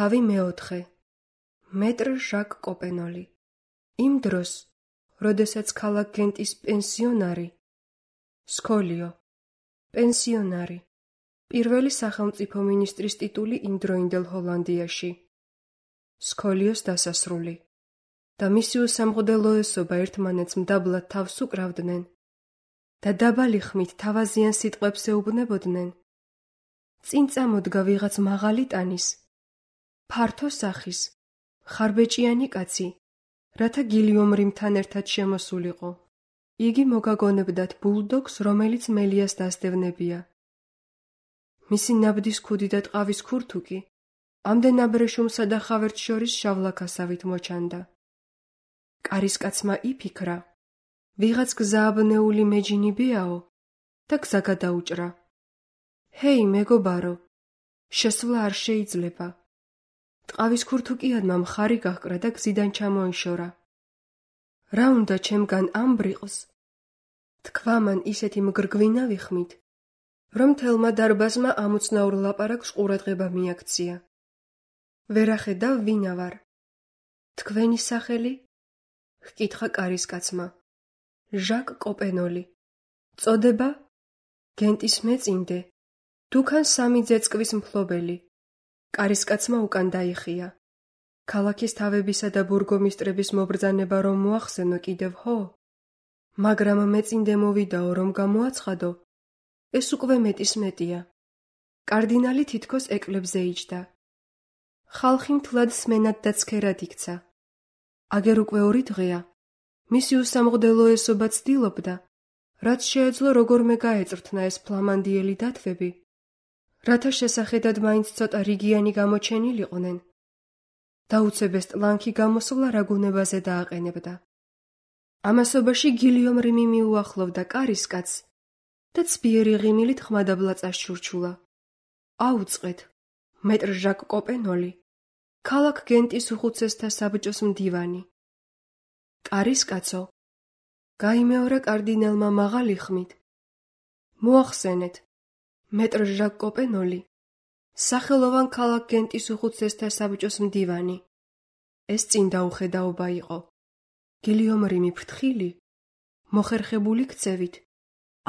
თავი მეოთხე. მეტრ ჟაკ კოპენოლი. იმ დროს, როდესაც ქალაქ გენტის პენსიონარი, სკოლიო, პენსიონარი, პირველი სახელმწიფო მინისტრის ტიტული იმდროინდელ ჰოლანდიაში. სკოლიოს დასასრული და მისი უსამღდელოესობა ერთმანეთს მდაბლად თავს უკრავდნენ და დაბალი ხმით თავაზიან სიტყვებს ეუბნებოდნენ. წინ წამოდგა ვიღაც მაღალი ტანის, ფართო სახის, ხარბეჭიანი კაცი, რათა გილიომ რიმთან ერთად შემოსულიყო. იგი მოგაგონებდათ ბულდოგს, რომელიც მელიას დასდევნებია. მისი ნაბდის ქუდი და ტყავის ქურთუკი ამდენ აბრეშუმსა და ხავერტს შორის შავლაქასავით მოჩანდა. კარისკაცმა იფიქრა, ვიღაც გზააბნეული მეჯინიბეაო და გზა გადაუჭრა. ჰეი, მეგობარო, შესვლა არ შეიძლება. ტყავის ქურთუკიანმა მხარი გაჰკრა და გზიდან ჩამოიშორა. რა უნდა ჩემგან ამ ბრიყს? თქვა მან ისეთი მგრგვინა ვიხმით, რომ თელმა დარბაზმა ამოცნაურ ლაპარაკს ყურადღება მიაქცია. ვერახედავ ვინა ვარ. თქვენი სახელი? ჰკითხა კარისკაცმა. ჟაკ კოპენოლი. წოდება? გენტის მეწინდე. დუქან სამი ძეწკვის მფლობელი. კარისკაცმა უკან დაიხია. ქალაქის თავებისა და ბურგომისტრების მობრძანება რომ მოახსენო კიდევ ჰო? მაგრამ მეწინდე მოვიდაო რომ გამოაცხადო, ეს უკვე მეტის მეტია. კარდინალი თითქოს ეკლებზე იჯდა. ხალხი მთლად სმენად და ცქერად იქცა. აგერ უკვე 2 დღეა. მისი უსამღდელოესობა ცდილობდა, რაც შეეძლო როგორმე გაეწრთნა ეს ფლამანდიელი დათვები, რათა შესახედად მაინც ცოტა რიგიანი გამოჩენილიყვნენ. დაუცებეს ტლანქი გამოსვლა რა გუნებაზე დააყენებდა. ამასობაში გილიომ რიმი მიუახლოვდა კარისკაცს და ცბიერი ღიმილით ხმადაბლა წაშჩურჩულა. აუწყეთ, მეტრ ჟაკ კოპენოლი, ქალაქ გენტის უხუცესთა საბჭოს მდივანი. კარისკაცო, გაიმეორა კარდინალმა მაღალი ხმით. მოახსენეთ, მეტრ ჟაკ კოპენოლი, სახელოვან ქალაქ გენტის უხუცესთა საბჭოს მდივანი. ეს წინ დაუხედაობა იყო. გილიომ რიმი ფრთხილი, მოხერხებული ქცევით,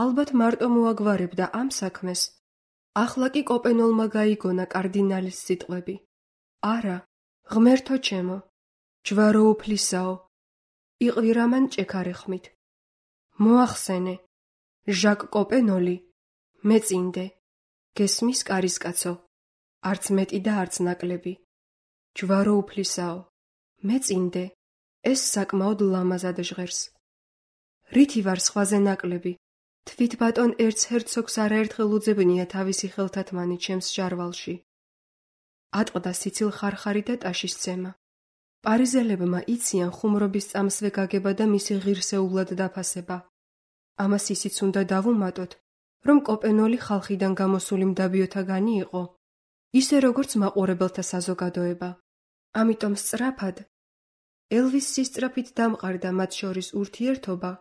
ალბათ მარტო მოაგვარებდა ამ საქმეს. ახლა კი კოპენოლმა გაიგონა კარდინალის სიტყვები. არა, ღმერთო ჩემო, ჯვარო უფლისაო, იყვირა მან ჭექარე ხმით. მოახსენე, ჟაკ კოპენოლი, მეწინდე, გესმის კარისკაცო, არც მეტი და არც ნაკლები. ჯვარო უფლისაო, მეწინდე, ეს საკმაოდ ლამაზად ჟღერს. რითი ვარ სხვაზე ნაკლები, თვით ბატონ ერცჰერცოგს არაერთხელ უძებნია თავისი ხელთათმანი ჩემს ჟარვალში. ატყდა სიცილ ხარხარი და ტაშის ცემა. პარიზელებმა იციან ხუმრობის წამსვე გაგება და მისი ღირსეულად დაფასება. ამას ისიც უნდა დავუმატოთ, რომ კოპენოლი ხალხიდან გამოსული მდაბიოთაგანი იყო, ისე როგორც მაყურებელთა საზოგადოება. ამიტომ სწრაფად, ელვის სისწრაფით დამყარდა მათ შორის ურთიერთობა,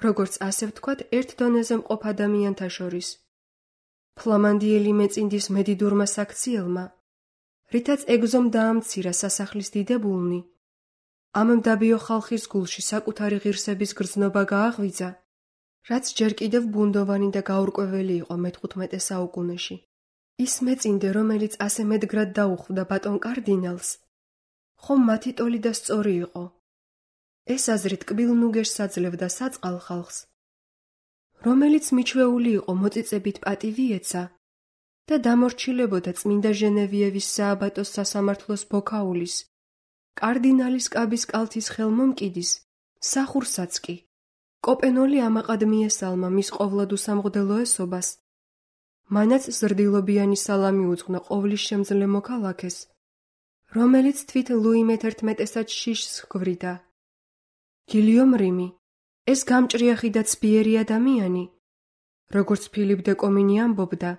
როგორც ასე ვთქვათ, ერთ დონეზე მყოფ ადამიანთა შორის. ფლამანდიელი მეწინდის მედიდურმა საქციელმა, რითაც ეგზომ დაამცირა სასახლის დიდებულნი, ამ მდაბიო ხალხის გულში საკუთარი ღირსების გრძნობა გააღვიძა, რაც ჯერ კიდევ ბუნდოვანი და გაურკვეველი იყო მე-15 საუკუნეში. ის მეწინდე, რომელიც ასე მედგრად დაუხვდა ბატონ კარდინალს, ხომ მათი ტოლი და სწორი იყო. ეს აზრი ტკბილ-ნუგეშს აძლევდა საწყალ ხალხს, რომელიც მიჩვეული იყო მოწიწებით პატივი ეცა და დამორჩილებოდა წმინდა ჟენევიევის სააბატოს სასამართლოს ბოქაულის, კარდინალის კაბის კალთის ხელმომკიდის, სახურსაც კი. კოპენოლი ამაყად მიესალმა მის ყოვლად უსამღდელოესობას, მანაც ზრდილობიანი სალამი უძღვნა ყოვლის შემძლე მოქალაქეს, რომელიც თვით ლუი მე-11-ად შიშს ჰგვრიდა. გილიომ რიმი, ეს გამჭრიახი და ცბიერი ადამიანი, როგორც ფილიპ დე კომინი ამბობდა,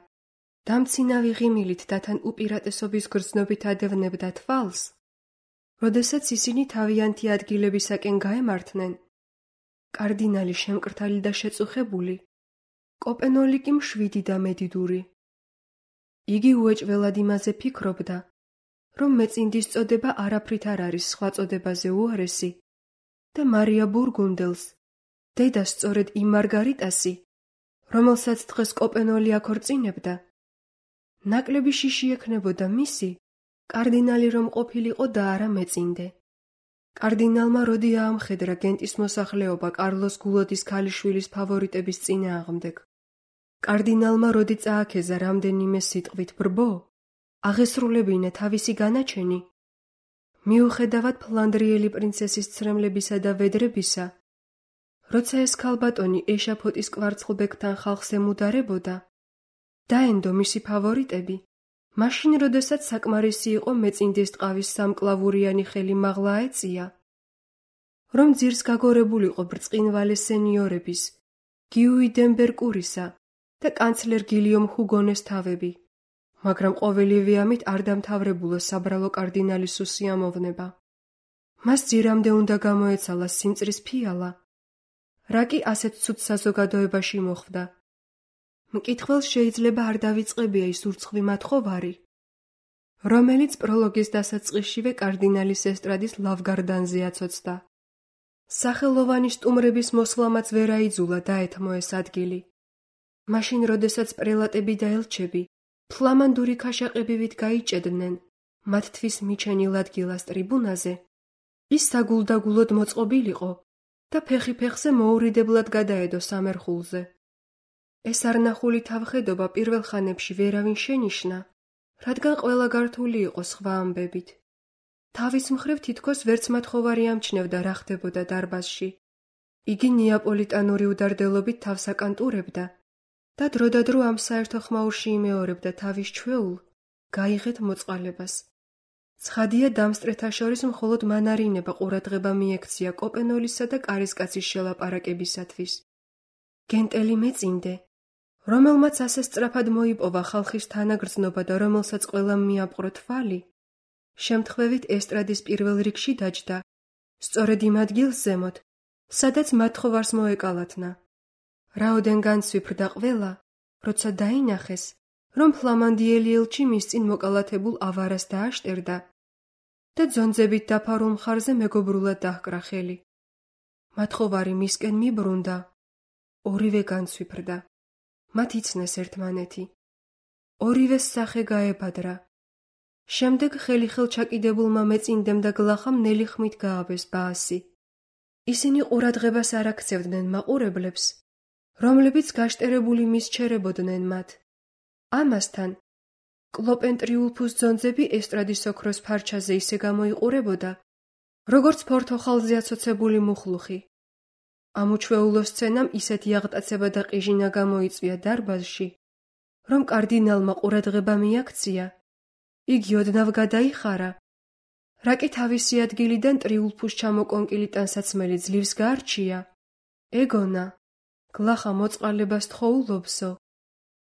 დამცინავი ღიმილით და თან უპირატესობის გრძნობით ადევნებდა თვალს, როდესაც ისინი თავიანთი ადგილებისაკენ გაემართნენ. კარდინალი შემკრთალი და შეწუხებული, კოპენოლი კი მშვიდი და მედიდური. იგი უეჭველად იმაზე ფიქრობდა, რომ მეწინდის წოდება არაფრით არ არის სხვა წოდებაზე უარესი და მარია ბურგუნდელს, დედას სწორედ იმ მარგარიტასი, რომელსაც დღეს კოპენოლი აქორწინებდა, ნაკლები შიში ექნებოდა მისი, კარდინალი რომ ყოფილიყო და არა მეწინდე. კარდინალმა როდი აამხედრა გენტის მოსახლეობა კარლოს გულოდის ქალიშვილის ფავორიტების წინააღმდეგ. კარდინალმა როდი წააქეზა რამდენიმე სიტყვით ბრბო, აღესრულებინა თავისი განაჩენი, მიუხედავად ფლანდრიელი პრინცესის ცრემლებისა და ვედრებისა, როცა ეს ქალბატონი ეშაფოტის კვარცხლბეკთან ხალხს ემუდარებოდა, დაენდო მისი ფავორიტები, მაშინ როდესაც საკმარისი იყო მეწინდეს ტყავის სამკლავურიანი ხელი მაღლა აეწია, რომ ძირს გაგორებულიყო ბრწყინვალე სენიორების, გიუი დენბერკურისა და კანცლერ გილიომ ჰუგონეს თავები, მაგრამ ყოველივე ამით არ დამთავრებულა საბრალო კარდინალის უსიამოვნება. მას ძირამდე უნდა გამოეცალა სიმწრის ფიალა, რა კი ასეთ ცუდ საზოგადოებაში მოხვდა. მკითხველს შეიძლება არ დავიწყებია ის ურცხვი მათხოვარი, რომელიც პროლოგის დასაწყისშივე კარდინალის ესტრადის ლავგარდანზე აცოცდა. სახელოვანი სტუმრების მოსვლამაც ვერ აიძულა დაეთმო ეს ადგილი. მაშინ, როდესაც პრელატები და ელჩები ფლამანდური ქაშაყებივით გაიჭედნენ მათთვის მიჩენილ ადგილას ტრიბუნაზე, ის საგულდაგულოდ მოწყობილიყო და ფეხი ფეხზე მოურიდებლად გადაედო სამერხულზე. ეს არნახული თავხედობა პირველ ხანებში ვერავინ შენიშნა, რადგან ყველა გართული იყო სხვა ამბებით. თავის მხრივ თითქოს ვერც მათხოვარი ამჩნევდა რა ხდებოდა დარბაზში. იგი ნეაპოლიტანური უდარდელობით თავს აკანტურებდა და დროდადრო ამ საერთო ხმაურში იმეორებდა თავის ჩვეულ, გაიღეთ მოწყალებას. ცხადია დამსწრეთა შორის მხოლოდ მანარინება ყურადღება მიექცია კოპენოლისა და კარისკაცის შელაპარაკებისათვის. გენტელი მეწინდე, რომელმაც ასე სწრაფად მოიპოვა ხალხის თანაგრძნობა და რომელსაც ყველამ მიაპყრო თვალი, შემთხვევით ესტრადის პირველ რიგში დაჯდა, სწორედ იმ ადგილს ზემოთ, სადაც მათხოვარს მოეკალათნა. რაოდენ განცვიფრდა ყველა, როცა დაინახეს, რომ ფლამანდიელი ელჩი მის წინ მოკალათებულ ავარას დააშტერდა და ძონძებით დაფარულ მხარზე მეგობრულად დაჰკრა ხელი. მათხოვარი მისკენ მიბრუნდა, ორივე განცვიფრდა. მათ იცნეს ერთმანეთი. ორივეს სახე გაებადრა. შემდეგ ხელი-ხელ ჩაკიდებულმა მეწინდემ და გლახამ ნელი ხმით გააბეს ბაასი. ისინი ყურადღებას არ აქცევდნენ მაყურებლებს, რომლებიც გაშტერებული მისჩერებოდნენ მათ. ამასთან, კლოპენ ტრიულფუს ძონძები ესტრადის ოქროს ფარჩაზე ისე გამოიყურებოდა, როგორც ფორთოხალზე აცოცებული მუხლუხი. ამ უჩვეულო სცენამ ისეთი აღტაცება და ყიჟინა გამოიწვია დარბაზში, რომ კარდინალმა ყურადღება მიაქცია, იგი ოდნავ გადაიხარა, რა კი თავისი ადგილიდან ტრიულფუს ჩამოკონკილი ტანსაცმელი ძლივს გაარჩია, ეგონა, გლახა მოწყალებას თხოვულობსო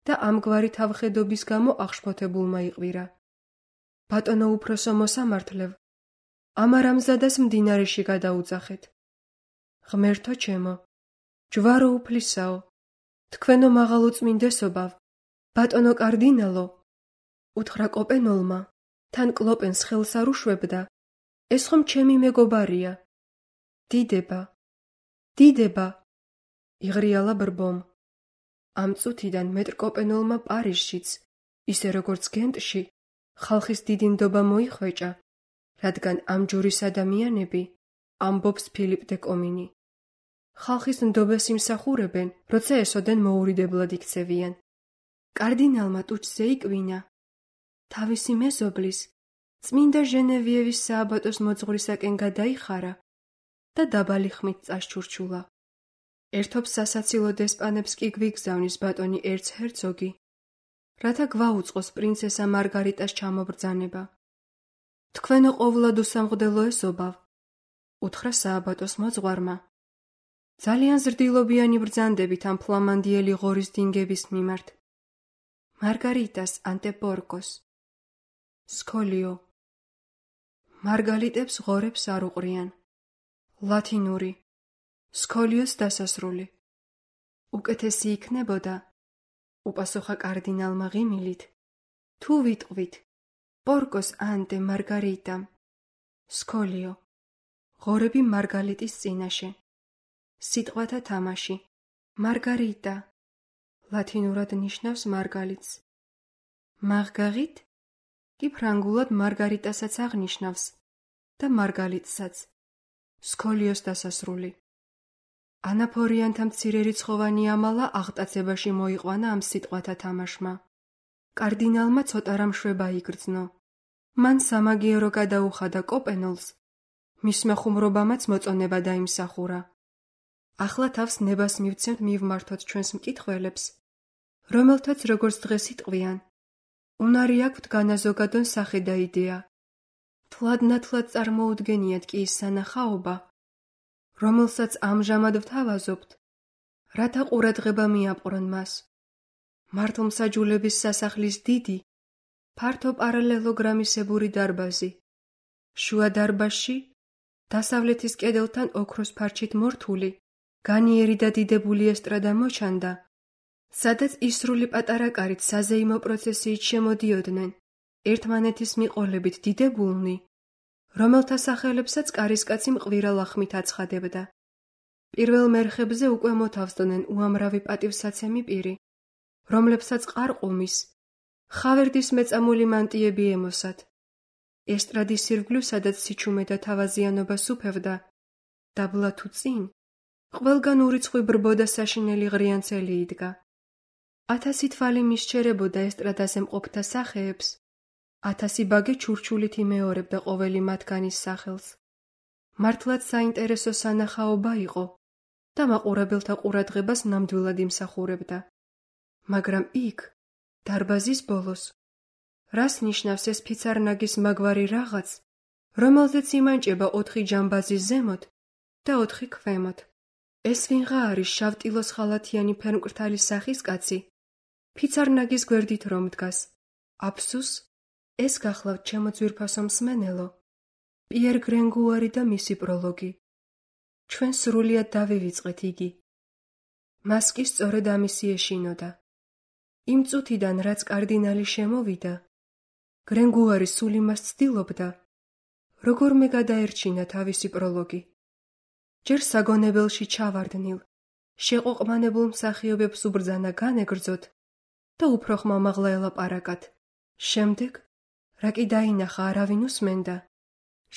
და ამგვარი თავხედობის გამო აღშფოთებულმა იყვირა. ბატონო უფროსო მოსამართლევ, ამარამზადას მდინარეში გადაუძახეთ. ღმერთო ჩემო, ჯვარო უფლისაო, თქვენო მაღალუწმინდესობავ, ბატონო კარდინალო, უთხრა კოპენოლმა, თან კლოპენს ხელს არ უშვებდა, ეს ხომ ჩემი მეგობარია. დიდება, დიდება, იღრიალა ბრბომ. ამ წუთიდან მეტრკოპენოლმა პარიზშიც, ისე როგორც გენტში, ხალხის დიდი ნდობა მოიხვეჭა, რადგან ამ ჯურის ადამიანები ამბობს ფილიპ დე კომინი. ხალხის ნდობას იმსახურებენ, როცა ესოდენ მოურიდებლად იქცევიან. კარდინალმა ტუჩზე იკვინა. თავისი მეზობლის, წმინდა ჟენევიევის სააბატოს მოძღვრისაკენ გადაიხარა და დაბალი ხმით წაშჩურჩულა. ერთობს სასაცილო დესპანებს კი გვიგზავნის ბატონი ერცჰერცოგი, რათა გვაუწყოს პრინცესა მარგარიტას ჩამობრძანება. თქვენო ყოვლად უსამღდელო ესობავ, უთხრა სააბატოს მოძღვარმა. ძალიან ზრდილობიანი ბრძანდებით ამ ფლამანდიელი ღორის დინგების მიმართ. მარგარიტას ანტეპორკოს. სკოლიო. მარგალიტებს ღორებს არ უყრიან. ლათინური. სკოლიოს დასასრული. უკეთესი იქნებოდა, უპასუხა კარდინალმა ღიმილით, თუ ვიტყვით, პორკოს ანტე მარგარიტამ. სკოლიო. ღორები მარგალიტის წინაშე. სიტყვათა თამაში. მარგარიტა. ლათინურად ნიშნავს მარგალიტს. მარგარიტ კი ფრანგულად მარგარიტასაც აღნიშნავს და მარგალიტსაც. სკოლიოს დასასრული. ანაფორიანთა მცირე რიცხოვანი ამალა აღტაცებაში მოიყვანა ამ სიტყვათა თამაშმა. კარდინალმა ცოტა რამ შვება იგრძნო. მან სამაგიერო გადაუხადა კოპენოლს, მისმა ხუმრობამაც მოწონება დაიმსახურა. ახლა თავს ნებას მივცემთ მივმართოთ ჩვენს მკითხველებს, რომელთაც როგორც დღეს იტყვიან, უნარი აქვთ განაზოგადონ სახე და იდეა. თლადნათლად წარმოუდგენიათ კი ის სანახაობა, რომელსაც ამჟამად ვთავაზობთ, რათა ყურადღება მიაპყრონ მას. მართლმსაჯულების სასახლის დიდი, ფართო პარალელოგრამისებური დარბაზი, შუა დარბაზში, დასავლეთის კედელთან ოქროს ფარჩით მორთული, განიერი და დიდებული ესტრადა მოჩანდა, სადაც ისრული პატარა კარით საზეიმო პროცესიით შემოდიოდნენ, ერთმანეთის მიყოლებით დიდებულნი, რომელთა სახელებსაც კარისკაცი მყვირა ლახმით აცხადებდა. პირველ მერხებზე უკვე მოთავსდნენ უამრავი პატივსაცემი პირი, რომლებსაც ყარყუმის, ხავერდის მეწამული მანტიები ემოსათ. ესტრადის ირგვლივ, სადაც სიჩუმე და თავაზიანობა სუფევდა, დაბლა თუ წინ, ყველგან ურიცხვი ბრბო და საშინელი ღრიანცელი იდგა. 1000 თვალი მისჩერებოდა ესტრადაზე მყოფთა სახეებს, 1000 ბაგე ჩურჩულით იმეორებდა ყოველი მათგანის სახელს. მართლაც საინტერესო სანახაობა იყო და მაყურებელთა ყურადღებას ნამდვილად იმსახურებდა. მაგრამ იქ, დარბაზის ბოლოს, რას ნიშნავს ეს ფიცარნაგის მაგვარი რაღაც, რომელზეც იმანჭება 4 ჯამბაზი ზემოთ და 4 ქვემოთ. ეს ვინღა არის შავტილოს ხალათიანი ფერმკრთალის სახის კაცი, ფიცარნაგის გვერდით რომ დგას. აფსუს, ეს გახლავთ ჩემო ძვირფასო მსმენელო, პიერ გრენგუარი და მისი პროლოგი. ჩვენ სრულიად დავივიწყეთ იგი. მას კი სწორედ ამისი ეშინოდა. იმ წუთიდან, რაც კარდინალი შემოვიდა, გრენგუარი სულ იმას ცდილობდა, როგორმე გადაერჩინა თავისი პროლოგი. ჯერ საგონებელში ჩავარდნილ, შეყოყმანებულ მსახიობებს უბრძანა განეგრძოთ და უფრო ხმამაღლა ელაპარაკათ. შემდეგ, რა კი დაინახა არავინ უსმენდა,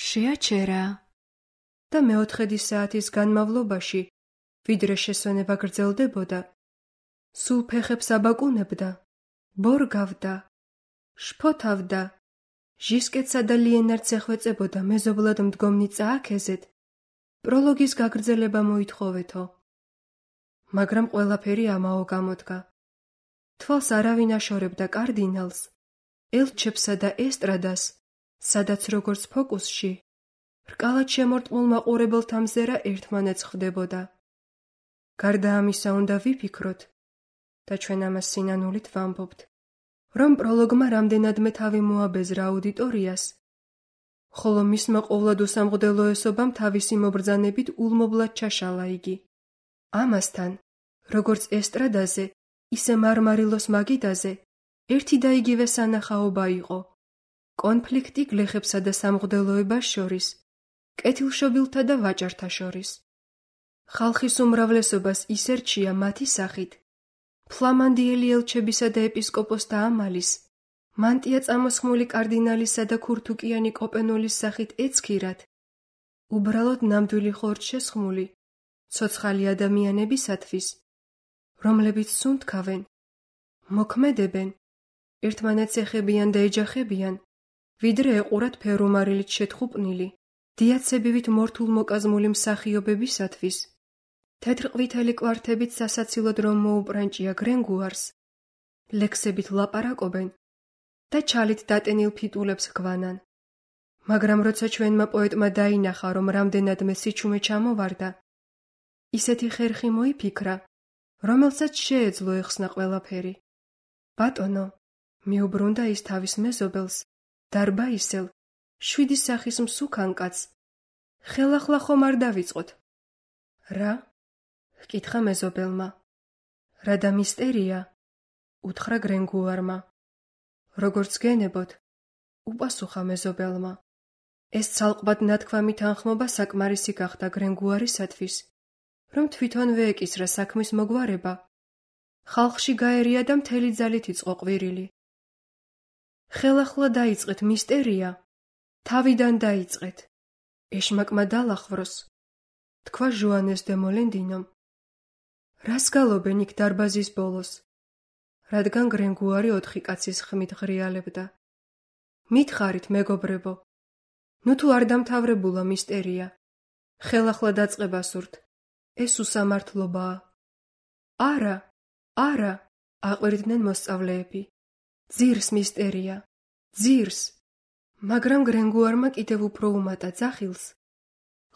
შეაჩერა და მეოთხედი საათის განმავლობაში, ვიდრე შესვენება გრძელდებოდა, სულ ფეხებს აბაკუნებდა, ბორგავდა, შფოთავდა, ჟისკეტსა და ლიენარდს ეხვეწებოდა მეზობლად მდგომნი წააქეზეთ, პროლოგის გაგრძელება მოითხოვეთო. მაგრამ ყველაფერი ამაო გამოდგა. თვალს არავინ აშორებდა კარდინალს, ელჩებსა და ესტრადას, სადაც როგორც ფოკუსში, რკალად შემორტყმულ მაყურებელთა მზერა ერთმანეთს ხვდებოდა. გარდა ამისა უნდა ვიფიქროთ, და ჩვენ ამას სინანულით ვამბობთ, რომ პროლოგმა რამდენადმე თავი მოაბეზრა აუდიტორიას, ხოლო მისმა ყოვლად უსამღდელოესობამ თავისი მობრძანებით ულმობლად ჩაშალა იგი. ამასთან, როგორც ესტრადაზე, ისე მარმარილოს მაგიდაზე, ერთი და იგივე სანახაობა იყო. კონფლიქტი გლეხებსა და სამღვდელოებას შორის, კეთილშობილთა და ვაჭართა შორის. ხალხის უმრავლესობას ისერჩია მათი სახით, ფლამანდიელი ელჩებისა და ეპისკოპოსთა ამალის, მანტია წამოსხმული კარდინალისა და ქურთუკიანი კოპენოლის სახით ეცქირათ, უბრალოდ ნამდვილი ხორცშესხმული, ცოცხალი ადამიანებისათვის, რომლებიც სუნთქავენ, მოქმედებენ, ერთმანეთს ეხებიან და ეჯახებიან, ვიდრე ეყურათ ფერუმარილით შეთხუპნილი, დიაცებივით მორთულ მოკაზმული მსახიობებისათვის. თეთრყვითელი კვართებით სასაცილოდ რომ მოუპრანჭია გრენგუარს, ლექსებით ლაპარაკობენ და ჩალით დატენილ ფიტულებს ჰგვანან. მაგრამ როცა ჩვენმა პოეტმა დაინახა, რომ რამდენადმე სიჩუმე ჩამოვარდა, ისეთი ხერხი მოიფიქრა, რომელსაც შეეძლო ეხსნა ყველაფერი. ბატონო, მიუბრუნდა ის თავის მეზობელს, დარბაისელ, 7 სახის მსუქან კაცს. ხელახლა ხომ არ დავიწყოთ? რა? ჰკითხა მეზობელმა. რა და მისტერია? უთხრა გრენგუარმა. როგორც გენებოთ, უპასუხა მეზობელმა. ეს ცალკბად ნათქვამი თანხმობა საკმარისი გახდა გრენგუარისათვის, რომ თვითონვე ეკისრა საქმის მოგვარება. ხალხში გაერია და მთელი ძალით იწყო ყვირილი. ხელახლა დაიწყეთ მისტერია, თავიდან დაიწყეთ. ეშმაკმა დალახვროს, თქვა ჟოანეს დე მოლენდინომ. რას გალობენ იქ დარბაზის ბოლოს? რადგან გრენგუარი 4 კაცის ხმით ღრიალებდა. მითხარით, მეგობრებო, ნუ თუ არ დამთავრებულა მისტერია, ხელახლა დაწყება სურთ, ეს უსამართლობაა. არა, არა, აყვირდნენ მოსწავლეები. ძირს მისტერია, ძირს. მაგრამ გრენგუარმა კიდევ უფრო უმატა ძახილს.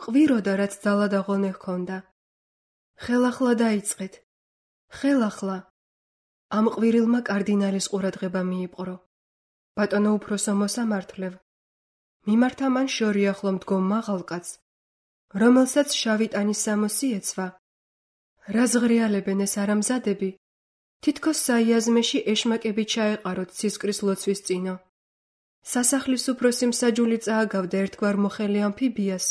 ყვიროდა, რაც ძალა და ღონე ჰქონდა. ხელახლა დაიწყეთ, ხელახლა. ამ ყვირილმა კარდინალის ყურადღება მიიპყრო. ბატონო უფროსო მოსამართლევ, მიმართა მან შორიახლო მდგომ მაღალ კაცს, რომელსაც შავი ტანის სამოსი ეცვა. რა ზღრიალებენ ეს არამზადები? თითქოს საიაზმეში ეშმაკები ჩაეყაროთ ცისკრის ლოცვის წინო. სასახლის უფროსი მსაჯული წააგავდა ერთგვარ მოხელი ამფიბიას,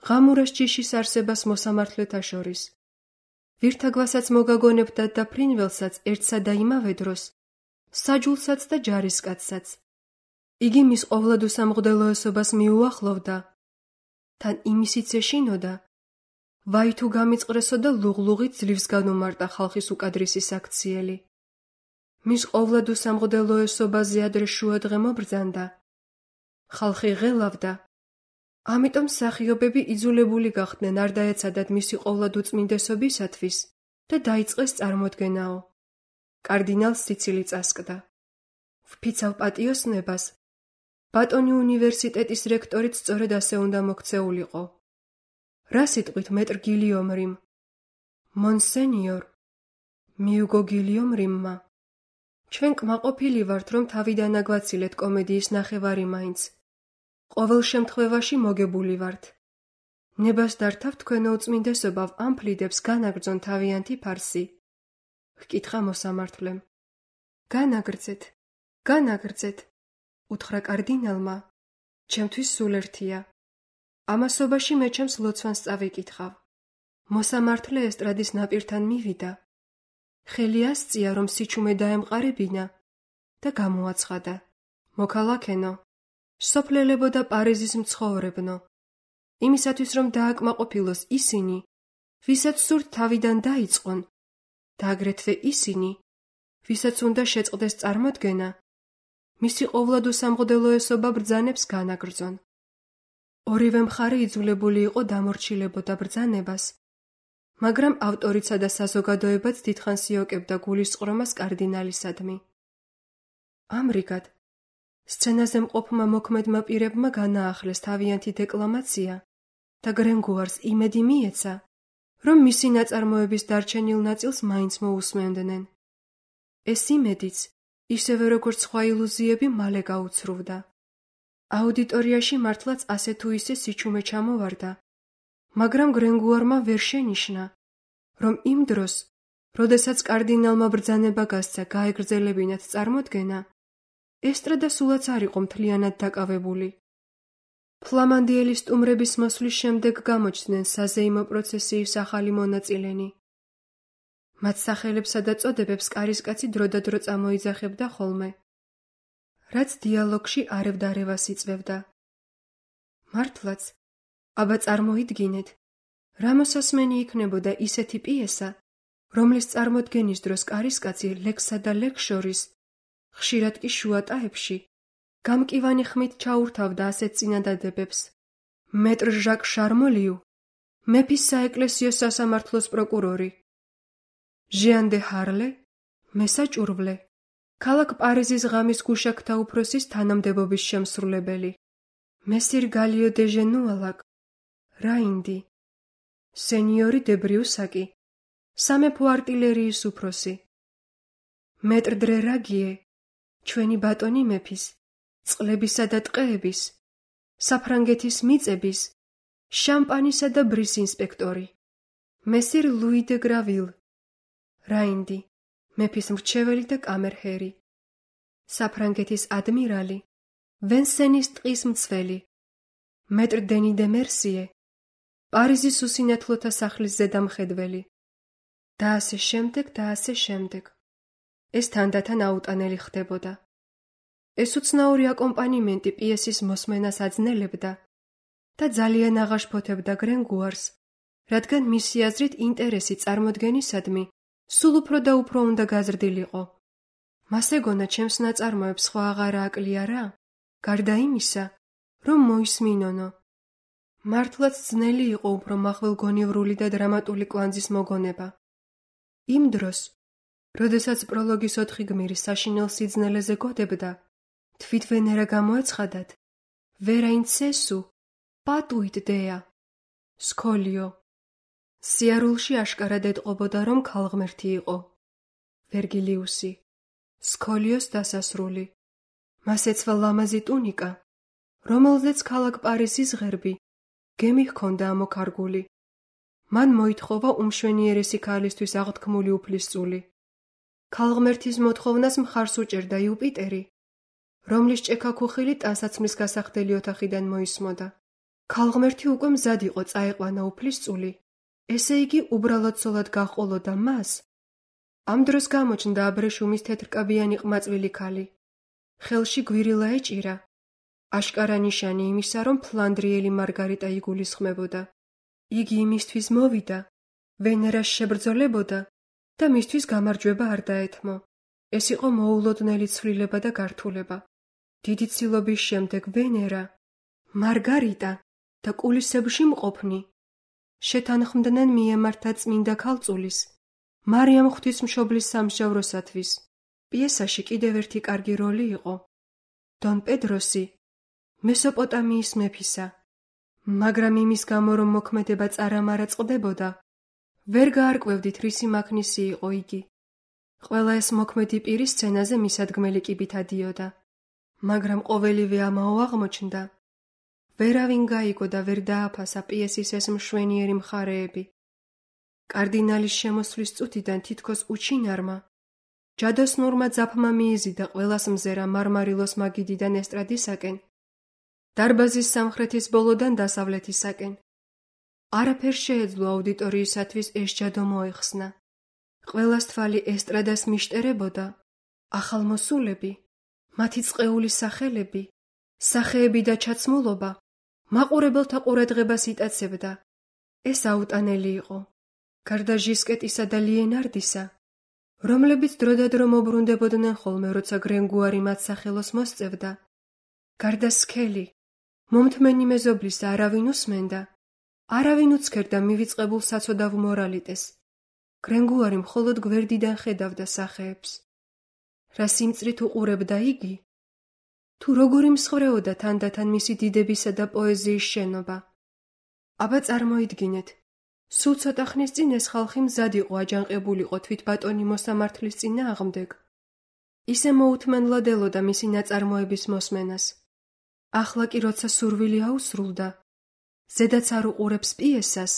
ღამურას ჯიშის არსებას მოსამართლეთა შორის. ვირთაგვასაც მოგაგონებდა და ფრინველსაც ერთსა და იმავე დროს, საჯულსაც და ჯარისკაცსაც. იგი მის ყოვლად უსამღდელოესობას მიუახლოვდა. თან იმისიც ეშინოდა, ვაი თუ გამიწყრესო და ლუღლუღით ძლივს განუმარტა ხალხის უკადრისი საქციელი. მის ყოვლად უსამღდელოესობაზე ადრე შუადღე მობრძანდა. ხალხი ღელავდა. ამიტომ მსახიობები იძულებული გახდნენ არ დაეცადათ მისი ყოვლად უწმინდესობისათვის და დაიწყეს წარმოდგენაო. კარდინალს სიცილი წასკდა. ვფიცავ პატიოსნებას, ბატონი უნივერსიტეტის რექტორიც სწორედ ასე უნდა მოქცეულიყო. რა სიტყვით მეტრ გილიომ რიმ? მონსენიორ, მიუგო გილიომ რიმმა. ჩვენ კმაყოფილი ვართ, რომ თავიდან აგვაცილეთ კომედიის ნახევარი მაინც. ყოველ შემთხვევაში მოგებული ვართ. ნებას დართავ თქვენო უწმინდესობა ამ ფლიდებს განაგრძონ თავიანთი ფარსი. ჰკითხა მოსამართლემ. განაგრძეთ, განაგრძეთ, უთხრა კარდინალმა. ჩემთვის სულ ერთია. ამასობაში მე ჩემს ლოცვანს წავიკითხავ. მოსამართლე ესტრადის ნაპირთან მივიდა. ხელი ასწია, რომ სიჩუმე დაემყარებინა და გამოაცხადა. მოქალაქენო, სოფლელებო და პარიზის მცხოვრებნო, იმისათვის რომ დააკმაყოფილოს ისინი, ვისაც სურთ თავიდან დაიწყონ, და აგრეთვე ისინი, ვისაც უნდა შეწყდეს წარმოდგენა, მისი ყოვლად უსამღდელოესობა ბრძანებს განაგრძონ. ორივე მხარე იძულებული იყო დამორჩილებოდა ბრძანებას, მაგრამ ავტორიცა და საზოგადოებაც დიდხანს იოკებდა გულისწყრომას კარდინალისადმი. ამრიგად, სცენაზე მყოფმა მოქმედმა პირებმა განაახლეს თავიანთი დეკლამაცია და გრენგუარს იმედი მიეცა, რომ მისი ნაწარმოების დარჩენილ ნაწილს მაინც მოусმენდნენ. ეს იმედიც, ისევე როგორც სხვა ილუზიები, მალე გაუცრუვდა. აუდიტორიაში მართლაც ასე თუ ისე სიჩუმე ჩამოვარდა, მაგრამ გრენგუარმა ვერ შენიშნა, რომ იმ დროს, როდესაც კარდინალმა ბრძანება გასცა გაეგრძელებინათ წარმოდგენა, ესტრადა სულაც არ იყო მთლიანად დაკავებული. ფლამანდიელი სტუმრების მოსვლის შემდეგ გამოჩნდნენ საზეიმო პროცესიის ახალი მონაწილენი. მათ სახელებსა და წოდებებს კარისკაცი დროდადრო წამოიძახებდა ხოლმე, რაც დიალოგში არევდარევას იწვევდა. მართლაც, აბა წარმოიდგინეთ, რა მოსასმენი იქნებოდა ისეთი პიესა, რომლის წარმოდგენის დროს კარისკაცი ლექსსა და ლექს შორის, ხშირად კი შუატაებში, გამკივანი ხმით ჩაურთავდა ასეთ წინადადებებს. მეტრ ჟაკ შარმოლიუ, მეფის საეკლესიო სასამართლოს პროკურორი, ჟიან დე ჰარლე, მესაჭურვლე, ქალაქ პარიზის ღამის გუშაქთა უფროსის თანამდებობის შემსრულებელი, მესირ გალიო დე ჟენუალაკ, რაინდი, სენიორი დე ბრიუსაკი, სამეფო არტილერიის უფროსი, მეტრ დრე რაგიე, ჩვენი ბატონი მეფის, წყლებისა და ტყეების, საფრანგეთის მიწების, შამპანისა და ბრის ინსპექტორი, მესირ ლუი დე გრავილ, რაინდი, მეფის მრჩეველი და კამერჰერი, საფრანგეთის ადმირალი, ვენსენის ტყის მცველი, მეტრ დენი დე მერსიე, პარიზის უსინათლოთა სახლის ზედამხედველი და ასე შემდეგ. ეს თანდათან აუტანელი ხდებოდა. ეს უცნაური აკომპანიმენტი პიესის მოსმენას აძნელებდა და ძალიან აღაშფოთებდა გრენგუარს, რადგან მისი აზრით ინტერესი წარმოდგენისადმი სულ უფრო და უფრო უნდა გაზრდილიყო. მას ეგონა ჩემს ნაწარმოებს სხვა აღარა აკლია რა, გარდა იმისა, რომ მოისმინონო. მართლაც ძნელი იყო უფრო მახვილგონივრული და დრამატული კვანძის მოგონება. იმ დროს, როდესაც პროლოგის 4 გმირი საშინელ სიძნელეზე გოდებდა, თვით ვენერა გამოეცხადათ, ვერა ინცესუ, პატუით დეა, სქოლიო. სიარულში აშკარად ეტყობოდა, რომ ქალღმერთი იყო. ვერგილიუსი, სქოლიოს დასასრული. მას ეცვა ლამაზი ტუნიკა, რომელზეც ქალაქ პარიზის ღერბი, გემი ჰქონდა ამოქარგული. მან მოითხოვა უმშვენიერესი ქალისთვის აღთქმული უფლისწული. ქალღმერთის მოთხოვნას მხარს უჭერდა იუპიტერი, რომლის ჭექაქუხილი ტანსაცმლის გასახდელი ოთახიდან მოისმოდა. ქალღმერთი უკვე მზად იყო წაეყვანა უფლისწული, ესე იგი უბრალოდ ცოლად გაჰყოლოდა მას. ამ დროს გამოჩნდა აბრეშუმის თეთრკაბიანი ყმაწვილი ქალი. ხელში გვირილა ეჭირა, აშკარა ნიშანი იმისა, რომ ფლანდრიელი მარგარიტა იგულისხმებოდა. იგი იმისთვის მოვიდა, ვენერას შებრძოლებოდა და მისთვის გამარჯვება არ დაეთმო. ეს იყო მოულოდნელი ცვლილება და გართულება. დიდი ცილობის შემდეგ ვენერა, მარგარიტა და კულისებში მყოფნი შეთანხმდნენ მიემართა წმინდა ქალწულის, მარიამ ღვთისმშობლის სამსჯავროსათვის. პიესაში კიდევ ერთი კარგი როლი იყო დონ პედროსი, მესოპოტამიის მეფისა, მაგრამ იმის გამო, რომ მოქმედება წარამარაწყდებოდა, ვერ გაარკვევდით რისი მაქნისი იყო იგი. ყველა ეს მოქმედი პირი სცენაზე მისადგმელი კიბით ადიოდა, მაგრამ ყოველივე ამაო აღმოჩნდა. ვერავინ გაიგო და ვერ დააფასა პიესის ეს მშვენიერი მხარეები. კარდინალის შემოსვლის წუთიდან თითქოს უჩინარმა, ჯადოსნურმა ძაფმა მიიზიდა ყველას მზერა მარმარილოს მაგიდიდან ესტრადისაკენ, დარბაზის სამხრეთის ბოლოდან დასავლეთისაკენ. არაფერ შეეძლო აუდიტორიისათვის ეს ჯადო მოეხსნა. ყველას თვალი ესტრადას მიშტერებოდა, ახალმოსულები, მათი წყეული სახელები, სახეები და ჩაცმულობა მაყურებელთა ყურადღებას იტაცებდა. ეს აუტანელი იყო. გარდა ჟისკეტისა და ლიენარდისა, რომლებიც დროდადრო მობრუნდებოდნენ ხოლმე, როცა გრენგუარი მათ სახელოს მოსწევდა. გარდა სქელი, მომთმენი მეზობლისა არავინ უსმენდა, არავინ უცქერდა მივიწყებულ საცოდავ მორალიტეს. გრენგუარი მხოლოდ გვერდიდან ხედავდა სახეებს. რა სიმწრით უყურებდა იგი? თუ როგორი მსხვერეოდა თანდათან მისი დიდებისა და პოეზიის შენობა. აბა წარმოიდგინეთ, სულ ცოტა ხნის წინ ეს ხალხი მზად იყო აჯანყებულიყო თვით ბატონი მოსამართლის წინააღმდეგ. ისე მოუთმენლად ელოდა მისი ნაწარმოების მოსმენას. ახლა კი როცა სურვილი აუსრულდა, ზედაც არ უყურებს პიესას,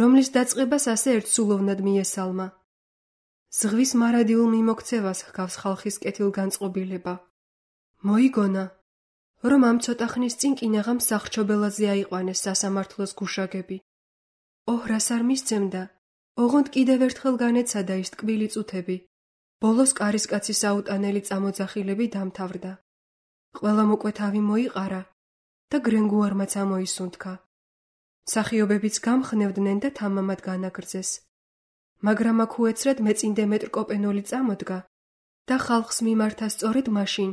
რომლის დაწყებას ასე ერთსულოვნად მიესალმა. ზღვის მარადიულ მიმოქცევას ჰგავს ხალხის კეთილგანწყობილება. მოიგონა, რომ ამ ცოტა ხნის წინ კინაღამ სახრჩობელაზე აიყვანეს სასამართლოს გუშაგები. ოჰრას არ მისცემდა, ოღონდ კიდევ ერთხელ განეცადა ის ტკბილი წუთები. ბოლოს კარისკაცის აუტანელი წამოძახილები დამთავრდა. ყველამ უკვე თავი მოიყარა და გრენგუარმაც ამოისუნთქა. მსახიობებიც გამხნევდნენ და თამამად განაგრძეს. მაგრამ აქ უეცრად მეწინდე მეტრკოპენოლი წამოდგა და ხალხს მიმართა სწორედ მაშინ,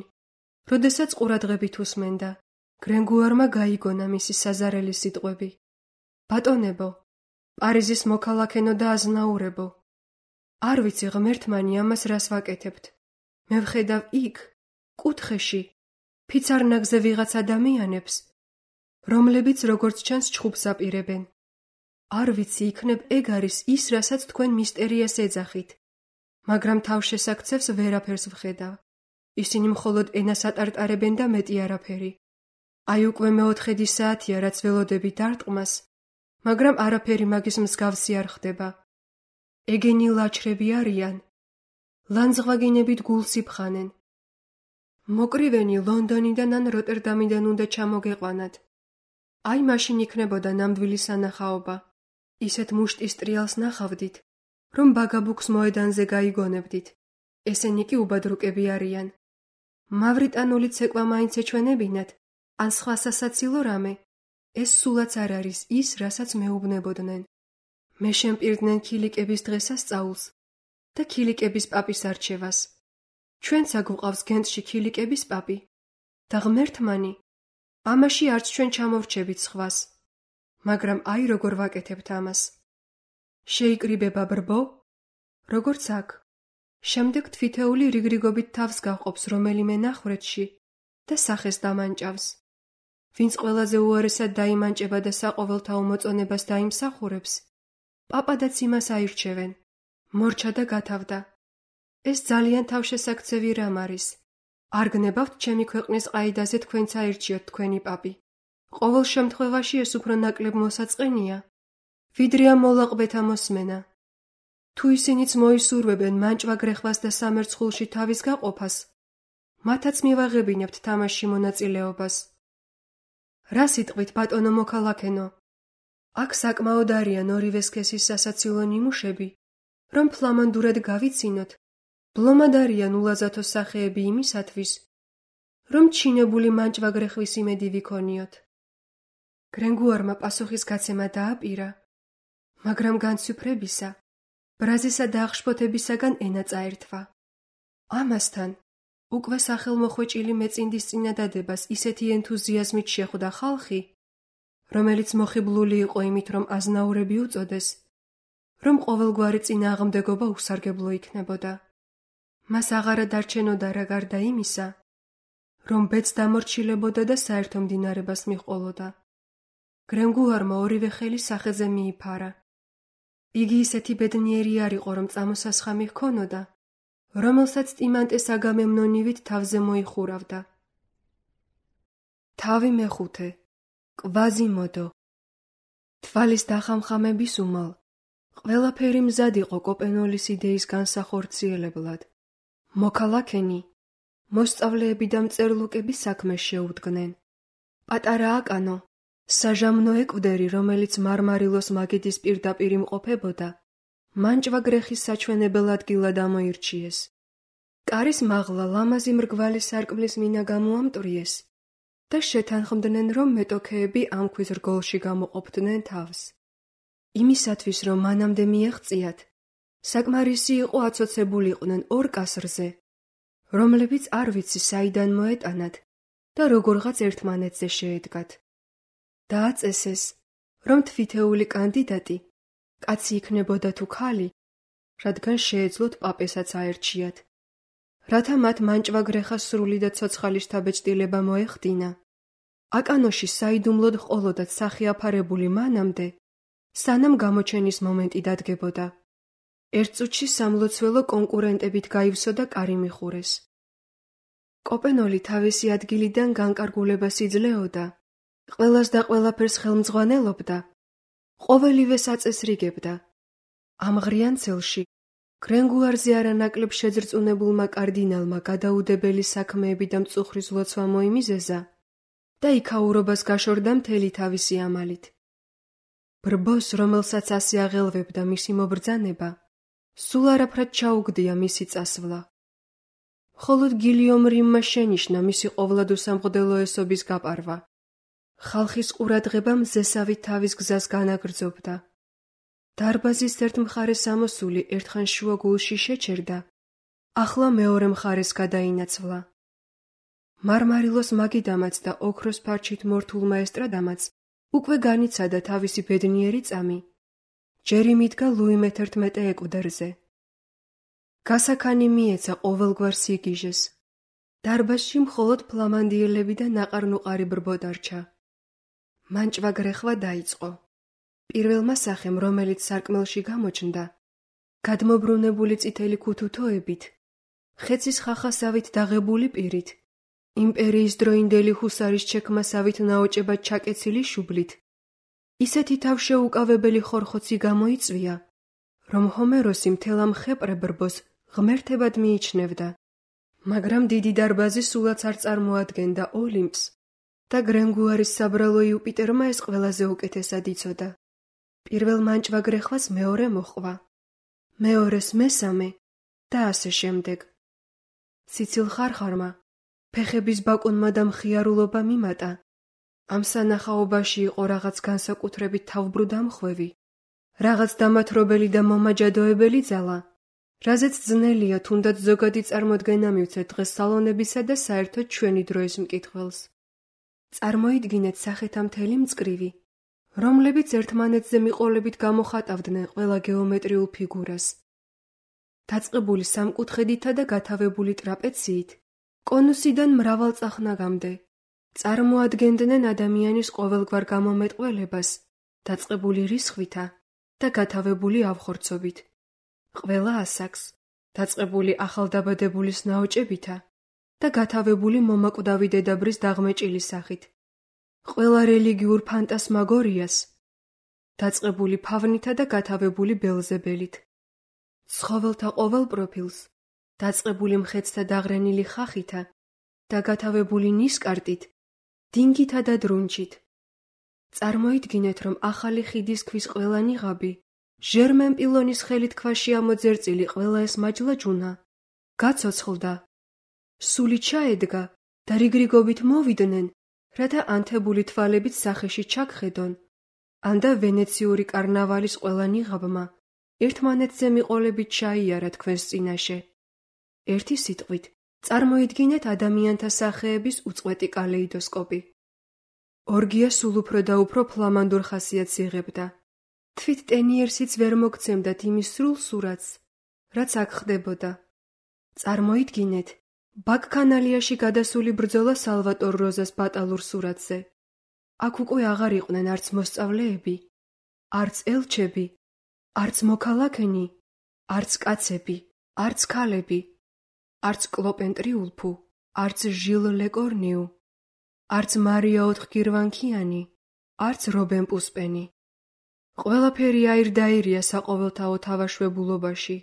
როდესაც ყურადღებით უსმენდა. გრენგუარმა გაიგონა მისი საზარელი სიტყვები. ბატონებო, პარიზის მოქალაქენო და აზნაურებო, არ ვიცი ღმერთმანი ამას რას ვაკეთებთ. მე ვხედავ იქ, კუთხეში, ფიცარნაგზე ვიღაც ადამიანებს, რომლებიც როგორც ჩანს ჩხუბს აპირებენ. არ ვიცი იქნებ ეგ არის ის, რასაც თქვენ მისტერიას ეძახით, მაგრამ თავშესაქცევს ვერაფერს ვხედავ. ისინი მხოლოდ ენას ატარტარებენ და მეტი არაფერი. აი უკვე მეოთხედი საათია, რაც ველოდები დარტყმას, მაგრამ არაფერი მაგის მსგავსი არ ხდება. ეგენი ლაჩრები არიან, ლანძღვაგინებით გულს იფხანენ. მოკრივენი ლონდონიდან ან როტერდამიდან უნდა ჩამოგეყვანათ. აი მაშინ იქნებოდა ნამდვილი სანახაობა. ისეთ მუშტის ტრიალს ნახავდით, რომ ბაგაბუქს მოედანზე გაიგონებდით. ესენი კი უბადრუკები არიან. მავრიტანული ცეკვა მაინც ეჩვენებინათ, ან სხვა სასაცილო რამე, ეს სულაც არ არის ის, რასაც მეუბნებოდნენ. მე შემპირდნენ ქილიკების დღესასწაულს და ქილიკების პაპის არჩევას. ჩვენცა გვყავს გენტში ქილიკების პაპი და ღმერთმანი, ამაში არც ჩვენ ჩამოვრჩებით სხვას. მაგრამ აი როგორ ვაკეთებთ ამას. შეიკრიბება ბრბო, როგორც აქ. შემდეგ თვითეული რიგრიგობით თავს გაჰყოფს რომელიმე ნახვრეთში და სახეს დამანჭავს. ვინც ყველაზე უარესად დაიმანჭება და საყოველთაო მოწონებას დაიმსახურებს, პაპადაც იმას აირჩევენ. მორჩა და გათავდა. ეს ძალიან თავშესაქცევი რამ არის. არ გნებავთ ჩემი ქვეყნის ყაიდაზე თქვენც აირჩიოთ თქვენი პაპი. ყოველ შემთხვევაში ეს უფრო ნაკლებ მოსაწყენია, ვიდრე ამ მოლაყბეთა მოსმენა. თუ ისინიც მოისურვებენ მანჭვა-გრეხვას და სამერცხულში თავის გაყოფას, მათაც მივაღებინებთ თამაში მონაწილეობას. რა სიტყვით, ბატონო მოქალაქენო? აქ საკმაოდ არიან ორივე სქესის სასაცილო ნიმუშები, რომ ფლამანდურად გავიცინოთ, ბლომად არიან ულაზათო სახეები იმისათვის, რომ ჩინებული მანჭვა-გრეხვის იმედი ვიქონიოთ. გრენგუარმა პასუხის გაცემა დააპირა, მაგრამ განცვიფრებისა, ბრაზისა და აღშფოთებისაგან ენა წაერთვა. ამასთან, უკვე სახელმოხვეჭილი მეწინდის წინადადებას ისეთი ენთუზიაზმით შეხვდა ხალხი, რომელიც მოხიბლული იყო იმით, რომ აზნაურები უწოდეს, რომ ყოველგვარი წინააღმდეგობა უსარგებლო იქნებოდა. მას აღარა დარჩენოდა რა გარდა იმისა, რომ ბედს დამორჩილებოდა და საერთო მდინარებას მიჰყოლოდა. გრენგუარმა ორივე ხელი სახეზე მიიფარა. იგი ისეთი ბედნიერი არ იყო, რომ წამოსასხამი ჰქონოდა, რომელსაც ტიმანტეს აგამემნონივით თავზე მოიხურავდა. თავი მეხუთე. კვაზიმოდო. თვალის დახამხამების უმალ, ყველაფერი მზად იყო კოპენოლის იდეის განსახორციელებლად. მოქალაქენი, მოსწავლეები და მწერლუკები საქმეს შეუდგნენ. პატარა აკანო, საჟამნო ეკვდერი, რომელიც მარმარილოს მაგიდის პირდაპირ იმყოფებოდა, მანჭვა-გრეხის საჩვენებელ ადგილად ამოირჩიეს. კარის მაღლა ლამაზი მრგვალი სარკმლის მინა გამოამტვრიეს და შეთანხმდნენ, რომ მეტოქეები ამ ქვის რგოლში გამოყოფდნენ თავს. იმისათვის, რომ მანამდე მიეღწიათ, საკმარისი იყო აცოცებულიყვნენ ორ კასრზე, რომლებიც არ ვიცი საიდან მოეტანათ და როგორღაც ერთმანეთზე შეედგათ. დააწესეს, რომ თვითეული კანდიდატი, კაცი იქნებოდა თუ ქალი, რადგან შეეძლოთ პაპესაც აერჩიათ. რათა მათ მანჭვა-გრეხას სრული და ცოცხალი შთაბეჭდილება მოეხდინა, აკანოში საიდუმლოდ ჰყოლოდათ სახე აფარებული მანამდე, სანამ გამოჩენის მომენტი დადგებოდა. ერთ წუთში სამლოცველო კონკურენტებით გაივსო და კარი მიხურეს. კოპენოლი თავისი ადგილიდან განკარგულებას იძლეოდა, ყველას და ყველაფერს ხელმძღვანელობდა, ყოველივეს აწესრიგებდა. ამ ღრიან ცელში გრენგუარზე არანაკლებ შეძრწუნებულმა კარდინალმა გადაუდებელი საქმეები და მწუხრის ლოცვა მოიმიზეზა და იქაურობას გაშორდა მთელი თავისი ამალით. ბრბოს, რომელსაც ასე აღელვებდა მისი მობრძანება, სულ არაფრად ჩაუგდია მისი წასვლა. მხოლოდ გილიომ რიმმა შენიშნა მისი ყოვლად უსამღდელო ესობის გაპარვა. ხალხის ყურადღება მზესავით თავის გზას განაგრძობდა. დარბაზის ერთ მხარეს ამოსული ერთხან შუაგულში შეჩერდა, ახლა მეორე მხარეს გადაინაცვლა. მარმარილოს მაგიდამაც და ოქროს ფარჩით მორთულმა ესტრადამაც უკვე განიცადა თავისი ბედნიერი წამი. ჯერ იმიდგა ლუი მე-11 ეკვდერზე. გასაქანი მიეცა ყოველგვარ სიგიჟეს. დარბაზში მხოლოდ ფლამანდიელები და ნაყარ-ნუყარი ბრბო დარჩა. მანჭვა-გრეხვა დაიწყო. პირველმა სახემ, რომელიც სარკმელში გამოჩნდა, გადმობრუნებული წითელი ქუთუთოებით, ხეცის ხახასავით დაღებული პირით, იმპერიის დროინდელი ჰუსარის ჩექმასავით ნაოჭებად ჩაკეცილი შუბლით, ისეთი თავშეუკავებელი ხორხოცი გამოიწვია, რომ ჰომეროსი მთელ ამ ხეპრე ბრბოს ღმერთებად მიიჩნევდა, მაგრამ დიდი დარბაზი სულაც არ წარმოადგენდა ოლიმპს და გრენგუარის საბრალო იუპიტერმა ეს ყველაზე უკეთესად იცოდა. პირველ მანჭვა-გრეხვას მეორე მოჰყვა, მეორეს მესამე და ასე შემდეგ. ციცილ ხარხარმა, ფეხების ბაკუნმა და მხიარულობა მიმატა. ამ სანახაობაში იყო რაღაც განსაკუთრებით თავბრუდამხვევი, რაღაც დამათრობელი და მომაჯადოებელი ძალა, რაზეც ძნელია თუნდაც ზოგადი წარმოდგენა მივცეთ დღეს სალონებისა და საერთოდ ჩვენი დროის მკითხველს. წარმოიდგინეთ სახეთა მთელი მწკრივი, რომლებიც ერთმანეთზე მიყოლებით გამოხატავდნენ ყველა გეომეტრიულ ფიგურას. დაწყებული სამკუთხედითა და გათავებული ტრაპეციით, კონუსიდან მრავალწახნაგამდე, წარმოადგენდნენ ადამიანის ყოველგვარ გამომეტყველებას, დაწყებული რისხვითა და გათავებული ავხორცობით. ყველა ასაკს, დაწყებული ახალდაბადებულის ნაოჭებითა და გათავებული მომაკვდავი დედაბრის დაღმეჭილი სახით. ყველა რელიგიურ ფანტასმაგორიას, დაწყებული ფავნითა და გათავებული ბელზებელით. ცხოველთა ყოველ პროფილს, დაწყებული მხეცთა დაღრენილი ხახითა და გათავებული ნისკარტით, დინგითა და დრუნჩით. წარმოიდგინეთ, რომ ახალი ხიდის ქვის ყველა ნიღაბი, ჟერმენ პილონის ხელით ქვაში ამოძერწილი ყველა ეს მაჯლაჯუნა, გაცოცხლდა, სული ჩაედგა და რიგრიგობით მოვიდნენ, რათა ანთებული თვალებით სახეში ჩაგხედონ, ანდა ვენეციური კარნავალის ყველა ნიღაბმა, ერთმანეთზე მიყოლებით ჩაიარა თქვენს წინაშე. ერთი სიტყვით, წარმოიდგინეთ ადამიანთა სახეების უწყვეტი კალეიდოსკოპი. ორგია სულ უფრო და უფრო ფლამანდურ ხასიათს იღებდა. თვით ტენიერსიც ვერ მოგცემდათ იმის სრულ სურათს, რაც აქ ხდებოდა. წარმოიდგინეთ, ბაქკანალიაში გადასული ბრძოლა სალვატორ როზას ბატალურ სურათზე. აქ უკვე აღარ იყვნენ არც მოსწავლეები, არც ელჩები, არც მოქალაქენი, არც კაცები, არც ქალები, არც კლოპენ ტრიულფუ, არც ჟილ ლეკორნიუ, არც მარია ოთხგირვანქიანი, არც რობენ პუსპენი. ყველაფერი აირდაირია საყოველთაო თავაშვებულობაში.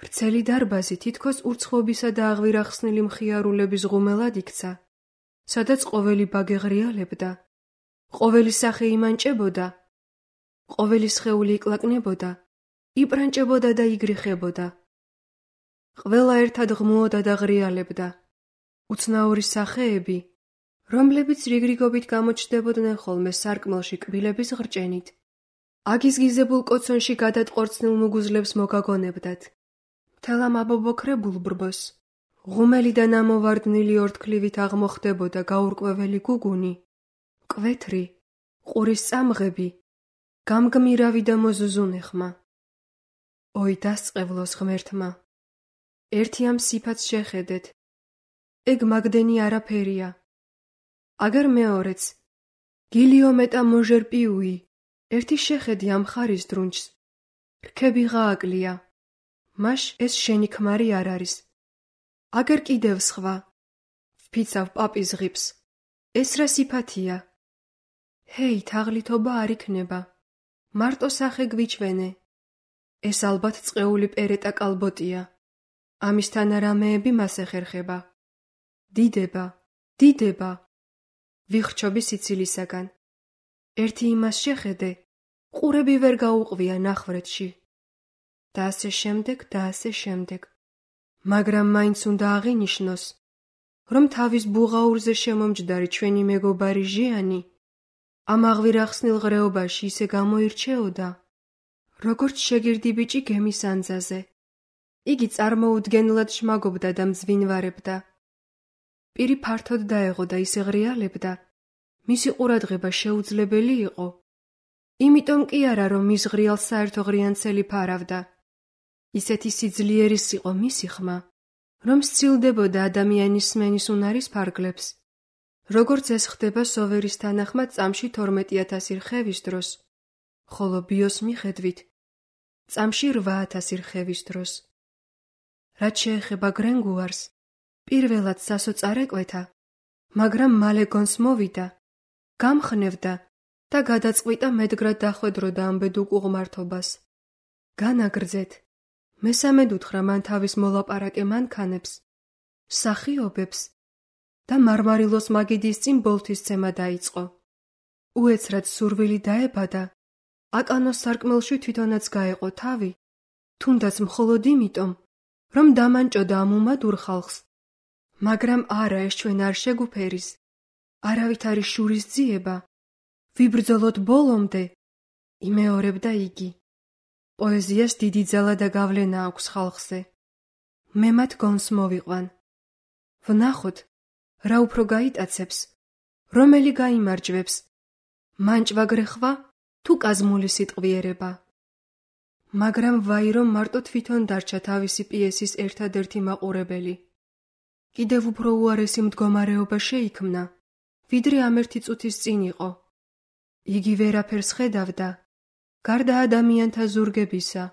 ვრცელი დარბაზი თითქოს ურცხობისა და აღვირახსნილი მხიარულების ღუმელად იქცა, სადაც ყოველი ბაგე ღრიალებდა, ყოველი სახე იმანჭებოდა, ყოველი სხეული იკლაკნებოდა, იპრანჭებოდა და იგრიხებოდა. ყველა ერთად ღმუოდა და ღრიალებდა. უცნაური სახეები, რომლებიც რიგრიგობით გამოჩნდებოდნენ ხოლმე სარკმელში კბილების ღრჭენით. აგიზგიზებულ კოცონში გადატყორცნილ მუგუზლებს მოგაგონებდათ. მთელ ამ აბობოქრებულ ბრბოს, ღუმელი და ნამოვარდნილი ორთქლივით აღმოხდებოდა გაურკვეველი გუგუნი, მკვეთრი, ყურის წამღები, გამგმირავი და მოზუზუნე ხმა. ოი დასწყევლოს ღმერთმა! ერთი ამ სიფათს შეხედეთ. ეგ მაგდენი არაფერია. აგერ მეორეც, გილიომეტა მოჟერ პიუი, ერთი შეხედი ამ ხარის დრუნჩს. რქები ღააკლია. მაშ ეს შენი ქმარი არ არის. აგერ კიდევ სხვა. ვფიცავ პაპის ღიფს. ეს რა სიფათია? ჰეი, თაღლითობა არ იქნება. მარტო სახე გვიჩვენე. ეს ალბათ წყეული პერეტა კალბოტია. ამისთან რამეები მას ეხერხება. დიდება, დიდება. ვიხრჩობი სიცილისაგან. ერთი იმას შეხედე, ყურები ვერ გაუყვია ნახვრეთში. და ასე შემდეგ და ასე შემდეგ. მაგრამ მაინც უნდა აღინიშნოს, რომ თავის ბუღაურზე შემომჯდარი ჩვენი მეგობარი ჟიანი ამ აღვირახსნილ ღრეობაში ისე გამოირჩეოდა, როგორც შეგირდი ბიჭი გემის ანძაზე. იგი წარმოუდგენლად შმაგობდა და მძვინვარებდა. პირი ფართოდ დაეღო და ისე ღრიალებდა, მისი ყურადღება შეუძლებელი იყო. იმიტომ კი არა, რომ მის ღრიალს საერთო ღრიანცელი ფარავდა. ისეთი სიძლიერის იყო მისი ხმა, რომ სცილდებოდა ადამიანის სმენის უნარის ფარგლებს, როგორც ეს ხდება სოვერის თანახმად წამში 12,000 რხევის დროს, ხოლო ბიოს მიხედვით წამში 8,000 რხევის დროს. რაც შეეხება გრენგუარს, პირველად სასო წარეკვეთა, მაგრამ მალე გონს მოვიდა, გამხნევდა და გადაწყვიტა მედგრად დახვედროდა ამ ბედუკ უღმართობას. განაგრძეთ, მესამედ უთხრა მან თავის მოლაპარაკე მანქანებს, მსახიობებს და მარმარილოს მაგიდის წინ ბოლთისცემა დაიწყო. უეცრად სურვილი დაებადა, აკანოს სარკმელში თვითონაც გაეყო თავი, თუნდაც მხოლოდ იმიტომ, რომ დამანჭოდა ამ უმადურ ხალხს. მაგრამ არა, ეს ჩვენ არ შეგუფერის, არავით არის შურის ძიება, ვიბრძოლოთ ბოლომდე, იმეორებდა იგი. პოეზიას დიდი ძალა და გავლენა აქვს ხალხზე. მე მათ გონს მოვიყვან. ვნახოთ, რა უფრო გაიტაცებს, რომელი გაიმარჯვებს, მანჭვა-გრეხვა თუ კაზმული სიტყვიერება. მაგრამ ვაი რომ მარტო თვითონ დარჩა თავისი პიესის ერთადერთი მაყურებელი. კიდევ უფრო უარესი მდგომარეობა შეიქმნა, ვიდრე ამ ერთი წუთის წინ იყო. იგი ვერაფერს ხედავდა, გარდა ადამიანთა ზურგებისა.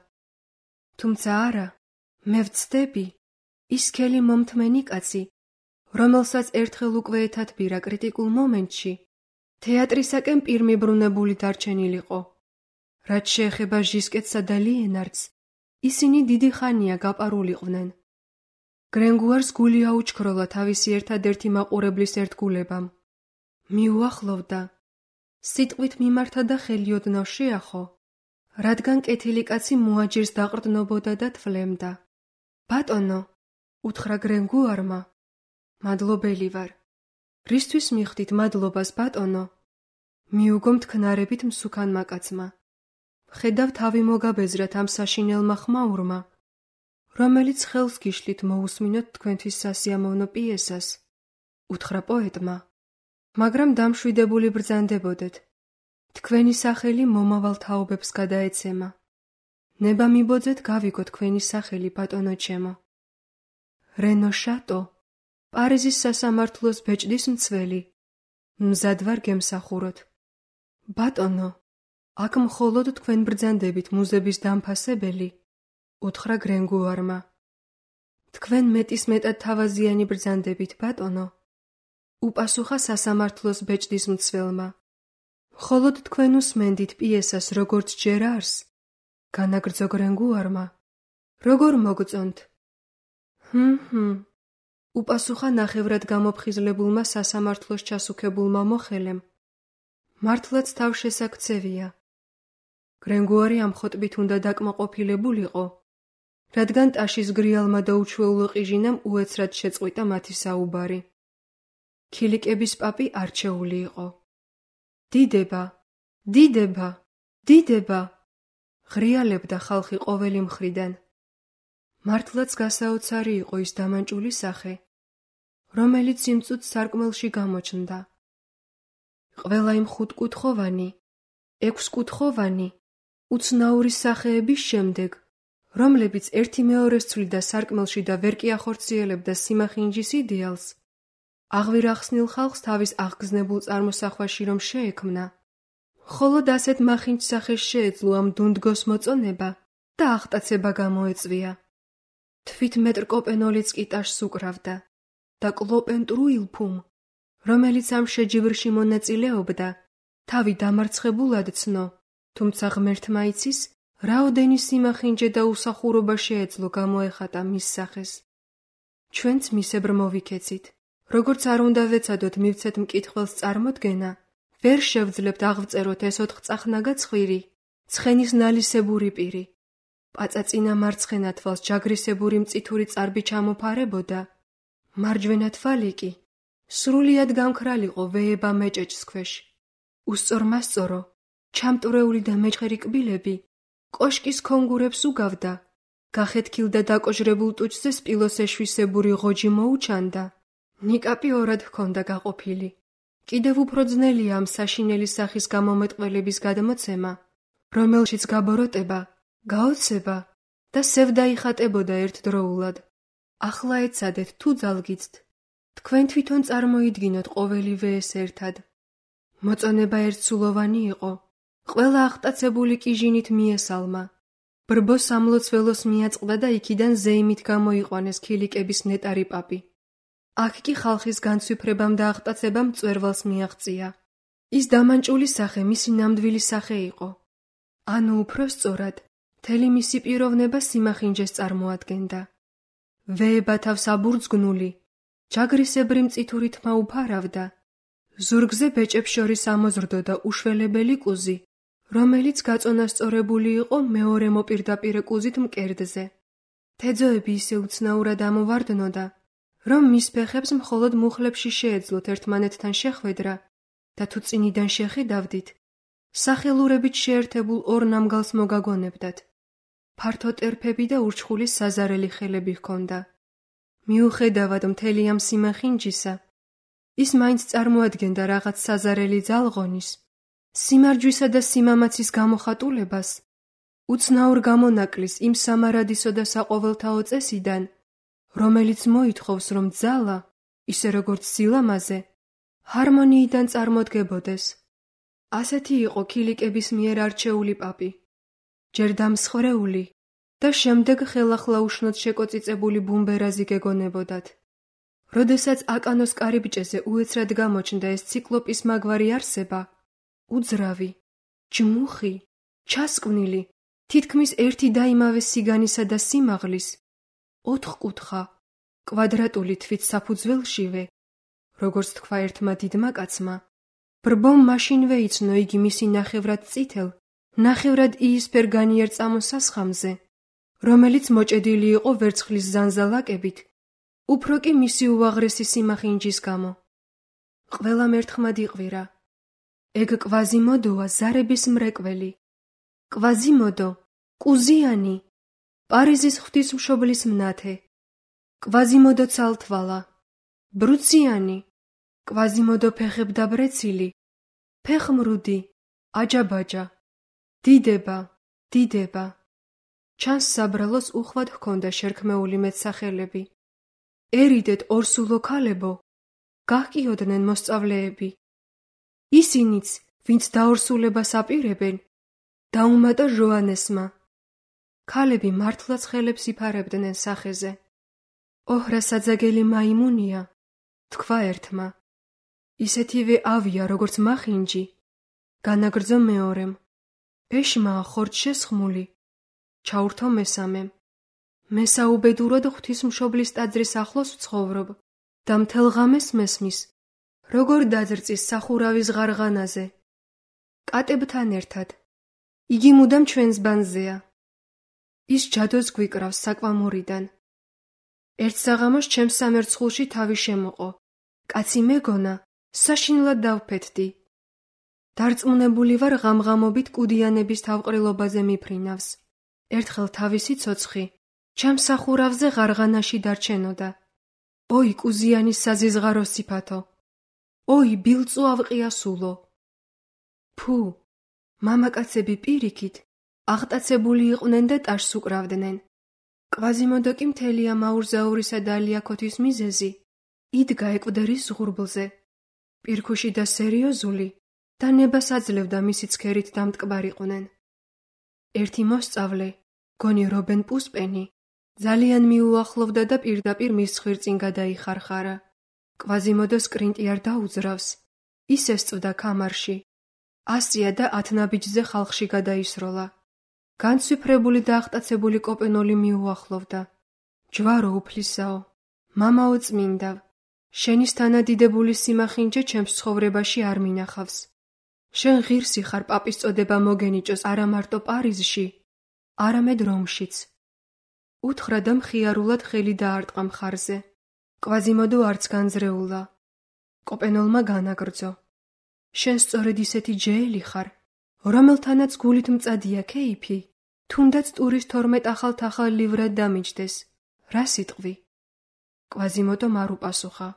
თუმცა არა, მე ვცდები, ის სქელი მომთმენი კაცი, რომელსაც ერთხელ უკვე ეთათბირა კრიტიკულ მომენტში, თეატრისაკენ პირმიბრუნებული დარჩენილიყო. რაც შეეხება ჟისკეტსა და ლიენარდს, ისინი დიდი ხანია გაპარულიყვნენ. გრენგუარს გული აუჩქროლა თავისი ერთადერთი მაყურებლის ერთგულებამ. მიუახლოვდა, სიტყვით მიმართა და ხელიოდნავ შეახო, რადგან კეთილი კაცი მოაჯირს დაყრდნობოდა და თვლემდა. ბატონო, უთხრა გრენგუარმა, მადლობელი ვარ. რისთვის მიხდით მადლობას, ბატონო? მიუგო მტკნარებით მსუქანმა კაცმა. ხედავ თავი მოგაბეზრათ ამ საშინელმა ხმაურმა, რომელიც ხელს გიშლით მოусმინოთ თქვენთვის სასიამოვნო პიესას, უთხრა პოეტმა. მაგრამ დამშვიდებული ბრძანდებოდეთ. თქვენი სახელი მომავალ თაობებს გადაეცემა. ნება მიბოძეთ გავიგო თქვენი სახელი, ბატონო ჩემო. რენო შატო, პარიზის სასამართლოს ბეჭდის მცველი. მზად ვარ გემსახუროთ. ბატონო, აქ მხოლოდ თქვენ ბრძანდებით მუზების დამფასებელი, უთხრა გრენგუარმა. თქვენ მეტისმეტად თავაზიანი ბრძანდებით, ბატონო, უპასუხა სასამართლოს ბეჭდის მცველმა. მხოლოდ თქვენ უსმენდით პიესას როგორც ჯერ არს, განაგრძო გრენგუარმა. როგორ მოგწონთ? უპასუხა ნახევრად გამოფხიზლებულმა სასამართლოს ჩასუქებულმა მოხელემ. მართლაც თავშესაქცევია. გრენგუარი ამ ხოტბით უნდა დაკმაყოფილებულიყო, რადგან ტაშის გრიალმა და უჩვეულო ყიჟინამ უეცრად შეწყვიტა მათი საუბარი. ქილიკების პაპი არჩეული იყო. დიდება, დიდება, დიდება, ღრიალებდა ხალხი ყოველი მხრიდან. მართლაც გასაოცარი იყო ის დამანჭული სახე, რომელიც იმ წუთს სარკმელში გამოჩნდა. ყველა იმ ხუთკუთხოვანი, ექვსკუთხოვანი, უცნაური სახეების შემდეგ, რომლებიც ერთი მეორეს ცვლიდა სარკმელში და ვერ კი ახორციელებდა სიმახინჯის იდეალს, აღვირახსნილ ხალხს თავის აღგზნებულ წარმოსახვაში რომ შეექმნა, მხოლოდ ასეთ მახინჯ სახეს შეეძლო ამ დუნდგოს მოწონება და აღტაცება გამოეწვია. თვით მეტრკოპენოლიც კი ტაშს უკრავდა და კლოპენტრუილფუმ, რომელიც ამ შეჯიბრში მონაწილეობდა, თავი დამარცხებულად ცნო, თუმცა ღმერთმა იცის, რაოდენი სიმახინჯე და უსახურობა შეეძლო გამოეხატა მის სახეს. ჩვენც მისებრ მოვიქეცით. როგორც არ უნდა ვეცადოთ მივცეთ მკითხველს წარმოდგენა, ვერ შევძლებთ აღვწეროთ ეს 4 წახნაგა ცხვირი, ცხენის ნალისებური პირი. პაწაწინა მარცხენა თვალს ჯაგრისებური მწითური წარბი ჩამოფარებოდა, მარჯვენა თვალი კი სრულიად გამქრალიყო ვეება მეჭეჭს ქვეშ. უსწორმასწორო, ჩამტვრეული და მეჩხერი კბილები კოშკის ქონგურებს უგავდა, გახეთქილ და დაკოჟრებულ ტუჩზე სპილოს ეშვისებური ღოჯი მოუჩანდა. ნიკაპი ორად ჰქონდა გაყოფილი. კიდევ უფრო ძნელია ამ საშინელი სახის გამომეტყველების გადმოცემა, რომელშიც გაბოროტება, გაოცება და სევდა იხატებოდა ერთდროულად. ახლა ეცადეთ თუ ძალგიცთ, თქვენ თვითონ წარმოიდგინოთ ყოველივე ეს ერთად. მოწონება ერთსულოვანი იყო, ყველა აღტაცებული კიჟინით მიესალმა. ბრბო სამლოცველოს მიაწყდა და იქიდან ზეიმით გამოიყვანეს ქილიკების ნეტარი პაპი. აქ კი ხალხის განცვიფრებამ და აღტაცებამ მწვერვალს მიაღწია. ის დამანჭული სახე მისი ნამდვილი სახე იყო. ანუ უფრო სწორად, მთელი მისი პიროვნება სიმახინჯეს წარმოადგენდა. ვეება თავს აბურძგნული, ჯაგრისებრი მწითური თმა უფარავდა. ზურგზე ბეჭებს შორის ამოზრდოდა უშველებელი კუზი, რომელიც გაწონასწორებული იყო მეორე მოპირდაპირე კუზით მკერდზე. თეძოები ისე უცნაურად ამოვარდნოდა, რომ მის ფეხებს მხოლოდ მუხლებში შეეძლოთ ერთმანეთთან შეხვედრა და თუ წინიდან შეხედავდით, სახელურებით შეერთებულ ორ ნამგალს მოგაგონებდათ. ფართო ტერფები და ურჩხული საზარელი ხელები ჰქონდა. მიუხედავად მთელი ამ სიმახინჯისა, ის მაინც წარმოადგენდა რაღაც საზარელი ძალღონის, სიმარჯვისა და სიმამაცის გამოხატულებას, უცნაურ გამონაკლის იმ სამარადისო და საყოველთაო წესიდან, რომელიც მოითხოვს, რომ ძალა, ისე როგორც სილამაზე, ჰარმონიიდან წარმოდგებოდეს. ასეთი იყო ქილიკების მიერ არჩეული პაპი, ჯერ დამსხრეული და შემდეგ ხელახლა-უშნოდ შეკოწიწებული ბუმბერაზი გეგონებოდათ. როდესაც აკანოს კარიბჭეზე უეცრად გამოჩნდა ეს ციკლოპის მაგვარი არსება, უძრავი, ჯმუხი, ჩასკვნილი, თითქმის ერთი და იმავე სიგანისა და სიმაღლის, ოთხკუთხა, კვადრატული თვით საფუძველშივე, როგორც თქვა ერთმა დიდმა კაცმა, ბრბომ მაშინვე იცნო იგი მისი ნახევრად წითელ, ნახევრად იისფერ განიერ წამოსასხამზე, რომელიც მოჭედილი იყო ვერცხლის ზანზალაკებით, უფრო კი მისი უაღრესი სიმახინჯის გამო. ყველამ ერთხმად იყვირა. ეგ კვაზიმოდოა ზარების მრეკველი. კვაზიმოდო, კუზიანი, პარიზის ღვთისმშობლის მნათე. კვაზიმოდო ცალთვალა, ბრუციანი, კვაზიმოდო ფეხებდაბრეცილი, ფეხმრუდი, აჯაბაჯა, დიდება, დიდება. ჩანს საბრალოს უხვად ჰქონდა შერქმეული მეტსახელები. ერიდეთ ორსულო ქალებო, გაჰკიოდნენ მოსწავლეები. ისინიც, ვინც დაორსულებას აპირებენ, დაუმატა ჟოანესმა. ქალები მართლაც ხელებს იფარებდნენ სახეზე. ოჰრა საძაგელი მაიმუნია, თქვა ერთმა. ისეთივე ავია, როგორც მახინჯი, განაგრძო მეორემ. ეშმაა ხორც შესხმული, ჩაურთო მესამემ. მე საუბედურად ღვთისმშობლის ტაძრის ახლოს ვცხოვრობ და მთელ ღამეს მესმის, როგორ დაძრწის სახურავის ღარღანაზე. კატებთან ერთად. იგი მუდამ ჩვენს ბანზეა. ის ჯადოს გვიკრავს საკვამურიდან. ერთ საღამოს ჩემს სამერცხულში თავი შემოყო. კაცი მეგონა, საშინლად დავფეთდი. დარწმუნებული ვარ ღამღამობით კუდიანების თავყრილობაზე მიფრინავს. ერთხელ თავისი ცოცხი ჩემს სახურავზე ღარღანაში დარჩენოდა. ოი კუზიანის საზიზღარო სიფათო! ოი ბილწუ ავყიასულო! ფუ, მამაკაცები პირიქით აღტაცებული იყვნენ და ტაშს უკრავდნენ. კვაზიმოდო კი მთელი ამ აურზაურისა და ალიაქოთის მიზეზი იდგა ეკვდერის ზღურბლზე, პირქუში და სერიოზული და ნებას აძლევდა მისი ცქერით დამტკბარიყვნენ. ერთი მოსწავლე, გონი რობენ პუსპენი, ძალიან მიუახლოვდა და პირდაპირ მის ხვირწინ გადაიხარხარა. კვაზიმოდოს კრინტი არ დაუძრავს, ისე სწვდა ქამარში. ასწია და 10 ნაბიჯზე ხალხში გადაისროლა. განცვიფრებული და აღტაცებული კოპენოლი მიუახლოვდა. ჯვარო უფლისაო, მამაო წმინდავ, შენის თანადიდებული სიმახინჯე ჩემს ცხოვრებაში არ მინახავს. შენ ღირსი ხარ პაპის წოდება მოგენიჭოს არა მარტო პარიზში, არამედ რომშიც. უთხრა და მხიარულად ხელი დაარტყა მხარზე. კვაზიმოდო არც განძრეულა. კოპენოლმა განაგრძო. შენ სწორედ ისეთი ჯეელი ხარ, რომელთანაც გულით მწადია ქეიფი, თუნდაც ტურის 12 ახალ livrად დამიჯდეს. რა სიტყვი? კვაზიმოდომ არ უპასუხა.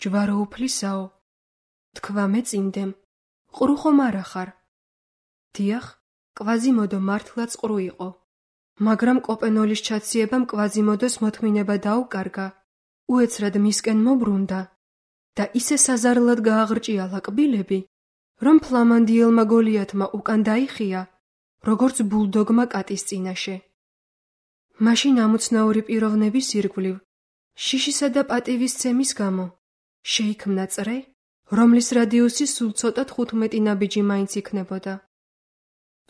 ჯვარო უფლისაო, თქვა მეწინდემ, ყრუ ხომ არა ხარ? დიახ, კვაზიმოდო მართლაც ყრუ იყო. მაგრამ კოპენოლის ჩაციებამ კვაზიმოდოს მოთმინება დაუკარგა, უეცრად მისკენ მობრუნდა და ისე საზარლად გააღრჭიალა კბილები, რომ ფლამანდიელმა გოლიათმა უკან დაიხია, როგორც ბულდოგმა კატის წინაშე. მაშინ ამოცნაური პიროვნების ირგვლივ, შიშისა და პატივის ცემის გამო, შეიქმნა წრე, რომლის რადიუსი სულ ცოტა 15 ნაბიჯი მაინც იქნებოდა.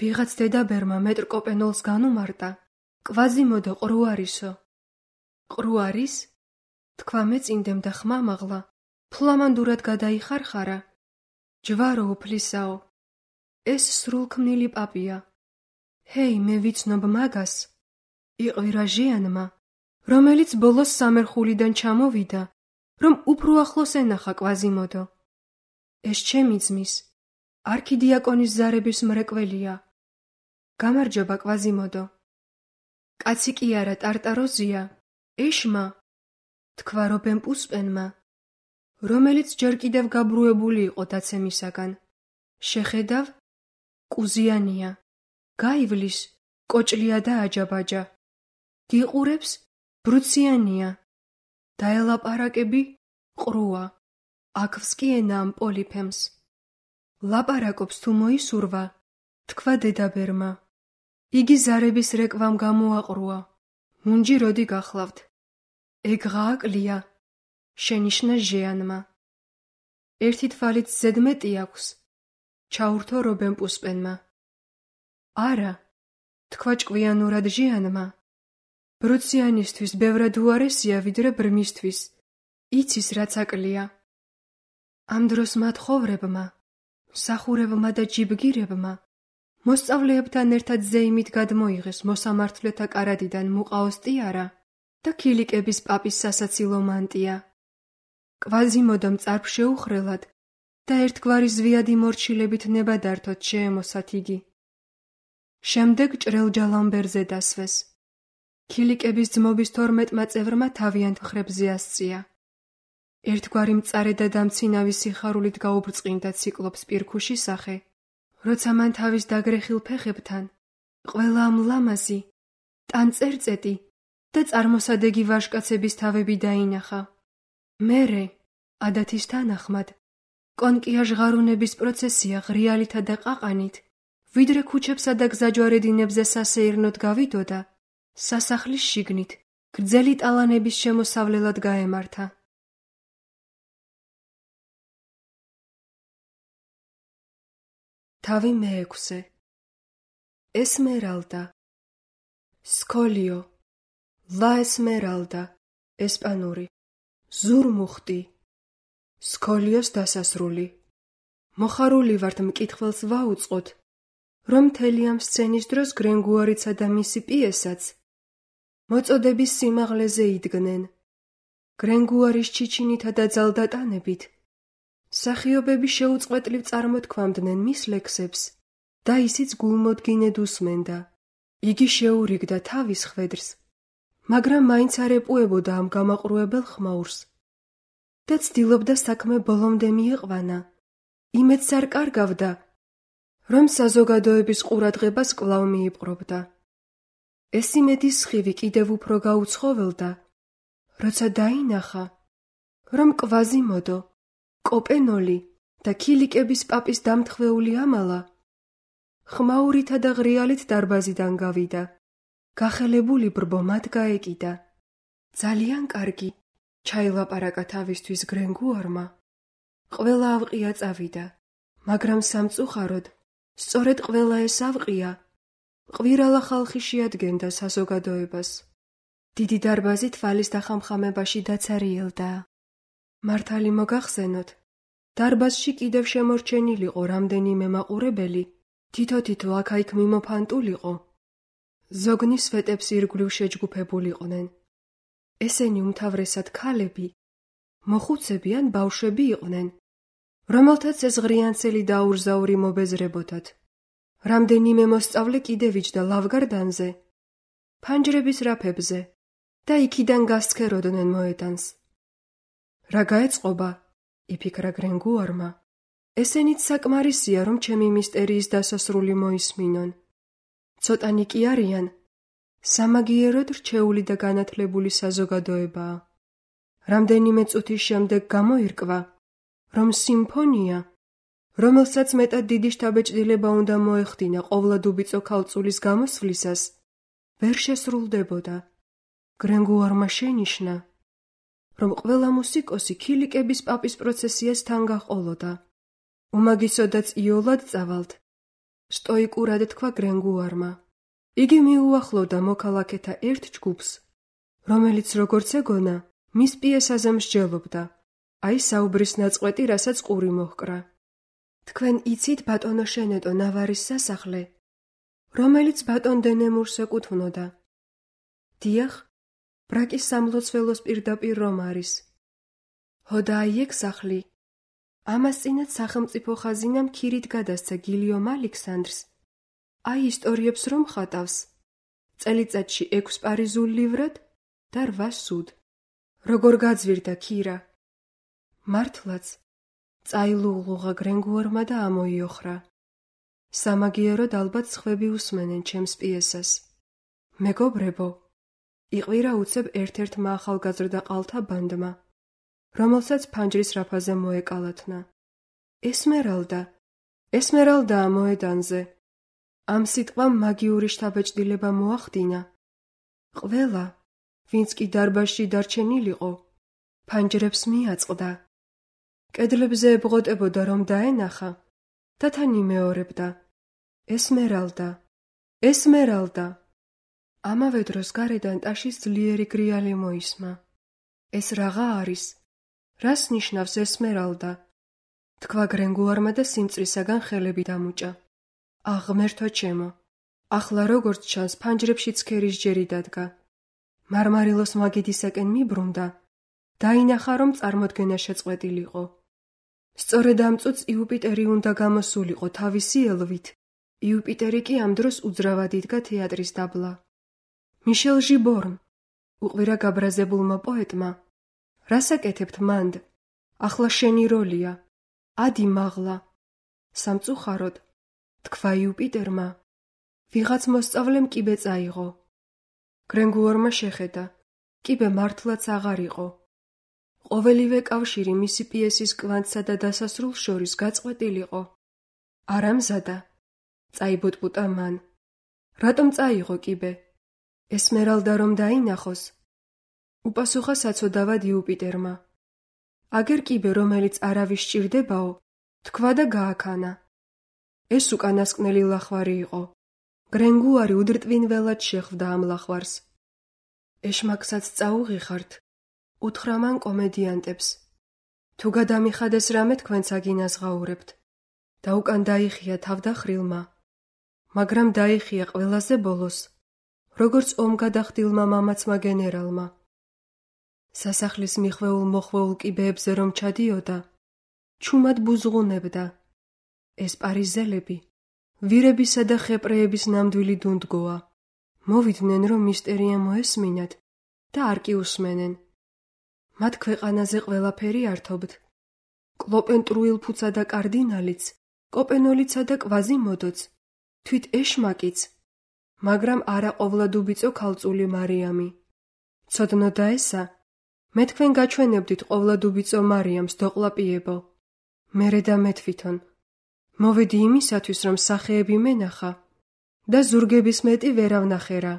ვიღაც დედაბერმა მეტრ კოპენოლს განუმარტა, კვაზიმოდო ყრუ არისო. ყრუ არის? თქვა მეწინდემ და ხმამაღლა, ფლამანდურად გადაიხარხარა. ჯვარო უფლისაო, ეს სრულქმნილი პაპია. ჰეი, მე ვიცნობ მაგას, იყვირა ჟიანმა, რომელიც ბოლოს სამერხულიდან ჩამოვიდა, რომ უფრო ახლოს ენახა კვაზიმოდო. ეს ჩემი ძმის, არქიდიაკონის ზარების მრეკველია. გამარჯობა კვაზიმოდო. კაცი კი არა ტარტაროზია, ეშმა, თქვა რობენ-პუსპენმა, რომელიც ჯერ კიდევ გაბრუებული იყო დაცემისაგან. შეხედავ, კუზიანია, გაივლის, კოჭლია და აჯაბაჯა. გიყურებს, ბრუციანია, დაელაპარაკები, ყრუა, აქვს კი ენა ამ პოლიფემს. ლაპარაკობს თუ მოისურვა, თქვა დედაბერმა. იგი ზარების რეკვამ გამოაყრუა. მუნჯი როდი გახლავთ? ეგღააკლია, შენიშნა ჟიანმა. ერთი თვალით ზედმეტი აქვს, ჩაურთო რობენ-პუსპენმა. არა, თქვა ჭკვიანურად ჟიანმა. ბრუციანისთვის ბევრად უარესია ვიდრე ბრმისთვის, იცის რაც აკლია. ამ დროს მათ ხოვრებმა, მსახურებმა და ჯიბგირებმა მოსწავლეებთან ერთად ზეიმით გადმოიღეს მოსამართლეთა კარადიდან მუყაოსტიარა და ქილიკების პაპის სასაცილო მანტია. კვაზიმოდომ წარფ შეუხრელად და ერთგვარი ზვიადი მორჩილებით ნებადართოდ შეემოსათ იგი. შემდეგ ჭრელჯალამბერზე დასვეს. ქილიკების ძმობის 12 წევრმა თავიანთ მხრებზე ასწია. ერთგვარი მწარე და დამცინავი სიხარულით გაუბრწყინდა ციკლოპს პირქუში სახე, როცა მან თავის დაგრეხილ ფეხებთან ყველა ამ ლამაზი, ტანწერწეტი და წარმოსადეგი ვაჟკაცების თავები დაინახა. მერე, ადათის თანახმად, კონკია ჟღარუნების პროცესია ღრიალითა და ყაყანით, ვიდრე ქუჩებსა და გზაჯვარედინებზე სასეირნოდ გავიდოდა, სასახლის შიგნით გრძელი ტალანების შემოსავლელად გაემართა. თავი მეექვსე. ესმერალდა, სკოლიო, ლა ესმერალდა, ესპანური, ზურმუხტი, სკოლიოს დასასრული. მოხარული ვართ მკითხველს ვაუწყოთ, რომ მთელი ამ სცენის დროს გრენგუარიცა და მისი პიესაც მოწოდების სიმაღლეზე იდგნენ. გრენგუარის ჩიჩინითა და ძალდატანებით მსახიობები შეუწყვეტლივ წარმოთქვამდნენ მის ლექსებს და ისიც გულმოდგინედ უსმენდა. იგი შეურიგდა თავის ხვედრს, მაგრამ მაინც არ ეპუებოდა ამ გამაყრუებელ ხმაურს და ცდილობდა საქმე ბოლომდე მიიყვანა. იმედს არ კარგავდა, რომ საზოგადოების ყურადღებას კვლავ მიიპყრობდა. ეს იმედის სხივი კიდევ უფრო გაუცხოველდა, როცა დაინახა, რომ კვაზიმოდო, კოპენოლი და ქილიკების პაპის დამთხვეული ამალა ხმაურითა და ღრიალით დარბაზიდან გავიდა. გახელებული ბრბო მათ გაეკიდა. ძალიან კარგი, ჩაილაპარაკა თავისთვის გრენგუარმა. ყველა ავყია წავიდა, მაგრამ სამწუხაროდ, სწორედ ყველა ეს ავყია ყვირალა ხალხი შეადგენდა საზოგადოებას. დიდი დარბაზი თვალის დახამხამებაში დაცარიელდა. მართალი მოგახსენოთ, დარბაზში კიდევ შემორჩენილიყო რამდენიმე მაყურებელი, თითო-თითო აქა-იქ მიმოფანტულიყო. ზოგნის სვეტებს ირგვლივ შეჯგუფებულიყვნენ. ესენი უმთავრესად ქალები, მოხუცები ან ბავშვები იყვნენ, რომელთაც ეს ღრიანცელი დაურზაური მობეზრებოდათ. რამდენიმე მოსწავლე კიდევ იჯდა ლავგარდანზე, ფანჯრების რაფებზე და იქიდან გასცქეროდნენ მოედანს. რა გაეწყობა? იფიქრა გრენგუარმა. ესენიც საკმარისია, რომ ჩემი მისტერიის დასასრული მოისმინონ. ცოტანი კი არიან, სამაგიეროდ რჩეული და განათლებული საზოგადოებაა. რამდენიმე წუთის შემდეგ გამოირკვა, რომ სიმფონია, რომელსაც მეტად დიდი შთაბეჭდილება უნდა მოეხდინა ყოვლადუბიწო ქალწულის გამოსვლისას, ვერ შესრულდებოდა. გრენგუარმა შენიშნა, რომ ყველა მუსიკოსი ქილიკების პაპის პროცესიას თან გაყოლოდა. უმაგისოდაც იოლად წავალთ, სტოიკურად თქვა გრენგუარმა. იგი მიუახლოვდა მოქალაქეთა ერთ ჯგუფს, რომელიც როგორც ეგონა, მის პიესაზე მსჯელობდა, აი საუბრის ნაწყვეტი, რასაც ყური მოჰკრა. თქვენ იცით ბატონო შენეტო ნავარის სასახლე, რომელიც ბატონ დენემურს ეკუთვნოდა. დიახ, ბრაკის სამლოცველოს პირდაპირ რომ არის. ჰოდა აი ეგ სახლი. ამას წინათ სახელმწიფო ხაზინამ ქირით გადასცა გილიომ ალექსანდრს. აი ისტორიებს რომ ხატავს. წელიწადში 6 პარიზულ ლივრად და 8 სუდ. როგორ გაძვირდა ქირა. მართლაც, წაილუღლუღა გრენგუარმა და ამოიოხრა. სამაგიეროდ ალბათ სხვები უსმენენ ჩემს პიესას. მეგობრებო, იყვირა უცებ ერთ-ერთმა ახალგაზრდა ყალთა ბანდმა, რომელსაც ფანჯრის რაფაზე მოეკალათნა. ესმერალდაა მოედანზე. ამ სიტყვამ მაგიური შთაბეჭდილება მოახდინა. ყველა, ვინც კი დარბაზში დარჩენილიყო, ფანჯრებს მიაწყდა. კედლებზე ებღოტებოდა რომ დაენახა და თან იმეორებდა. ესმერალდა. ამავე დროს გარედან ტაშის ძლიერი გრიალი მოისმა. ეს რაღა არის? რას ნიშნავს ესმერალდა? თქვა გრენგუარმა და სიმწრისაგან ხელები დამუჭა. აღმერთო ჩემო, ახლა როგორც ჩანს ფანჯრებში ცქერის ჯერი დადგა. მარმარილოს მაგიდისაკენ მიბრუნდა, დაინახა რომ წარმოდგენა შეწყვეტილიყო. სწორედ ამ წუთს იუპიტერი უნდა გამოსულიყო თავისი ელვით. იუპიტერი კი ამ დროს უძრავად იდგა თეატრის დაბლა. მიშელ ჟიბორნ, უყვირა გაბრაზებულმა პოეტმა, რას აკეთებთ მანდ? ახლა შენი როლია. ადი მაღლა. სამწუხაროდ, თქვა იუპიტერმა, ვიღაც მოსწავლემ კიბე წაიღო. გრენგუარმა შეხედა, კიბე მართლაც აღარ იყო. ყოველივე კავშირი მისი პიესის კვანძსა და დასასრულს შორის გაწყვეტილიყო. არა მზადა, წაიბუტბუტა მან. რატომ წაიღო კიბე? ესმერალდა რომ დაინახოს? უპასუხა საცოდავად იუპიტერმა. აგერ კიბე, რომელიც არავის სჭირდებაო, თქვა და გააქანა. ეს უკანასკნელი ლახვარი იყო. გრენგუარი უდრტვინველად შეხვდა ამ ლახვარს. ეშმაკსაც წაუღიხართ, უთხრა მან კომედიანტებს. თუ გადამიხადეს რამე თქვენც აგინაზღაურებთ. და უკან დაიხია თავდახრილმა. მაგრამ დაიხია ყველაზე ბოლოს, როგორც ომგადახდილმა მამაცმა გენერალმა. სასახლის მიხვეულ-მოხვეულ კიბეებზე რომ ჩადიოდა, ჩუმად ბუზღუნებდა. ეს პარიზელები, ვირებისა და ხეპრეების ნამდვილი დუნდგოა. მოვიდნენ რომ მისტერია მოესმინათ და არ კი უსმენენ. მათ ქვეყანაზე ყველაფერი ართობთ. კლოპენტრუილფუცა და კარდინალიც, კოპენოლიცა და კვაზიმოდოც, თვით ეშმაკიც, მაგრამ არა ყოვლადუბიწო ქალწული მარიამი. ცოდნო და ესა, მე თქვენ გაჩვენებდით ყოვლადუბიწო მარიამს დოყლაპიებო. მერე და მე თვითონ. მოვედი იმისათვის, რომ სახეები მენახა და ზურგების მეტი ვერავნახერა.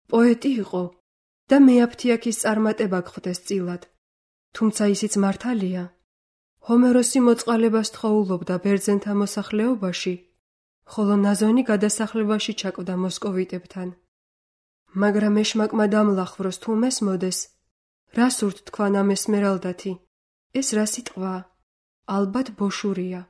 პოეტი იყო და მეაფთიაქის წარმატება გხვდეს წილად. თუმცა ისიც მართალია. ჰომეროსი მოწყალებას თხოვულობდა ბერძენთა მოსახლეობაში, ხოლო ნაზონი გადასახლებაში ჩაკვდა მოსკოვიტებთან. მაგრამ ეშმაკმა დამლახვროს თუ მესმოდეს, რა სურთ თქვან ამ ესმერალდათი? ეს რა სიტყვაა? ალბათ ბოშურია.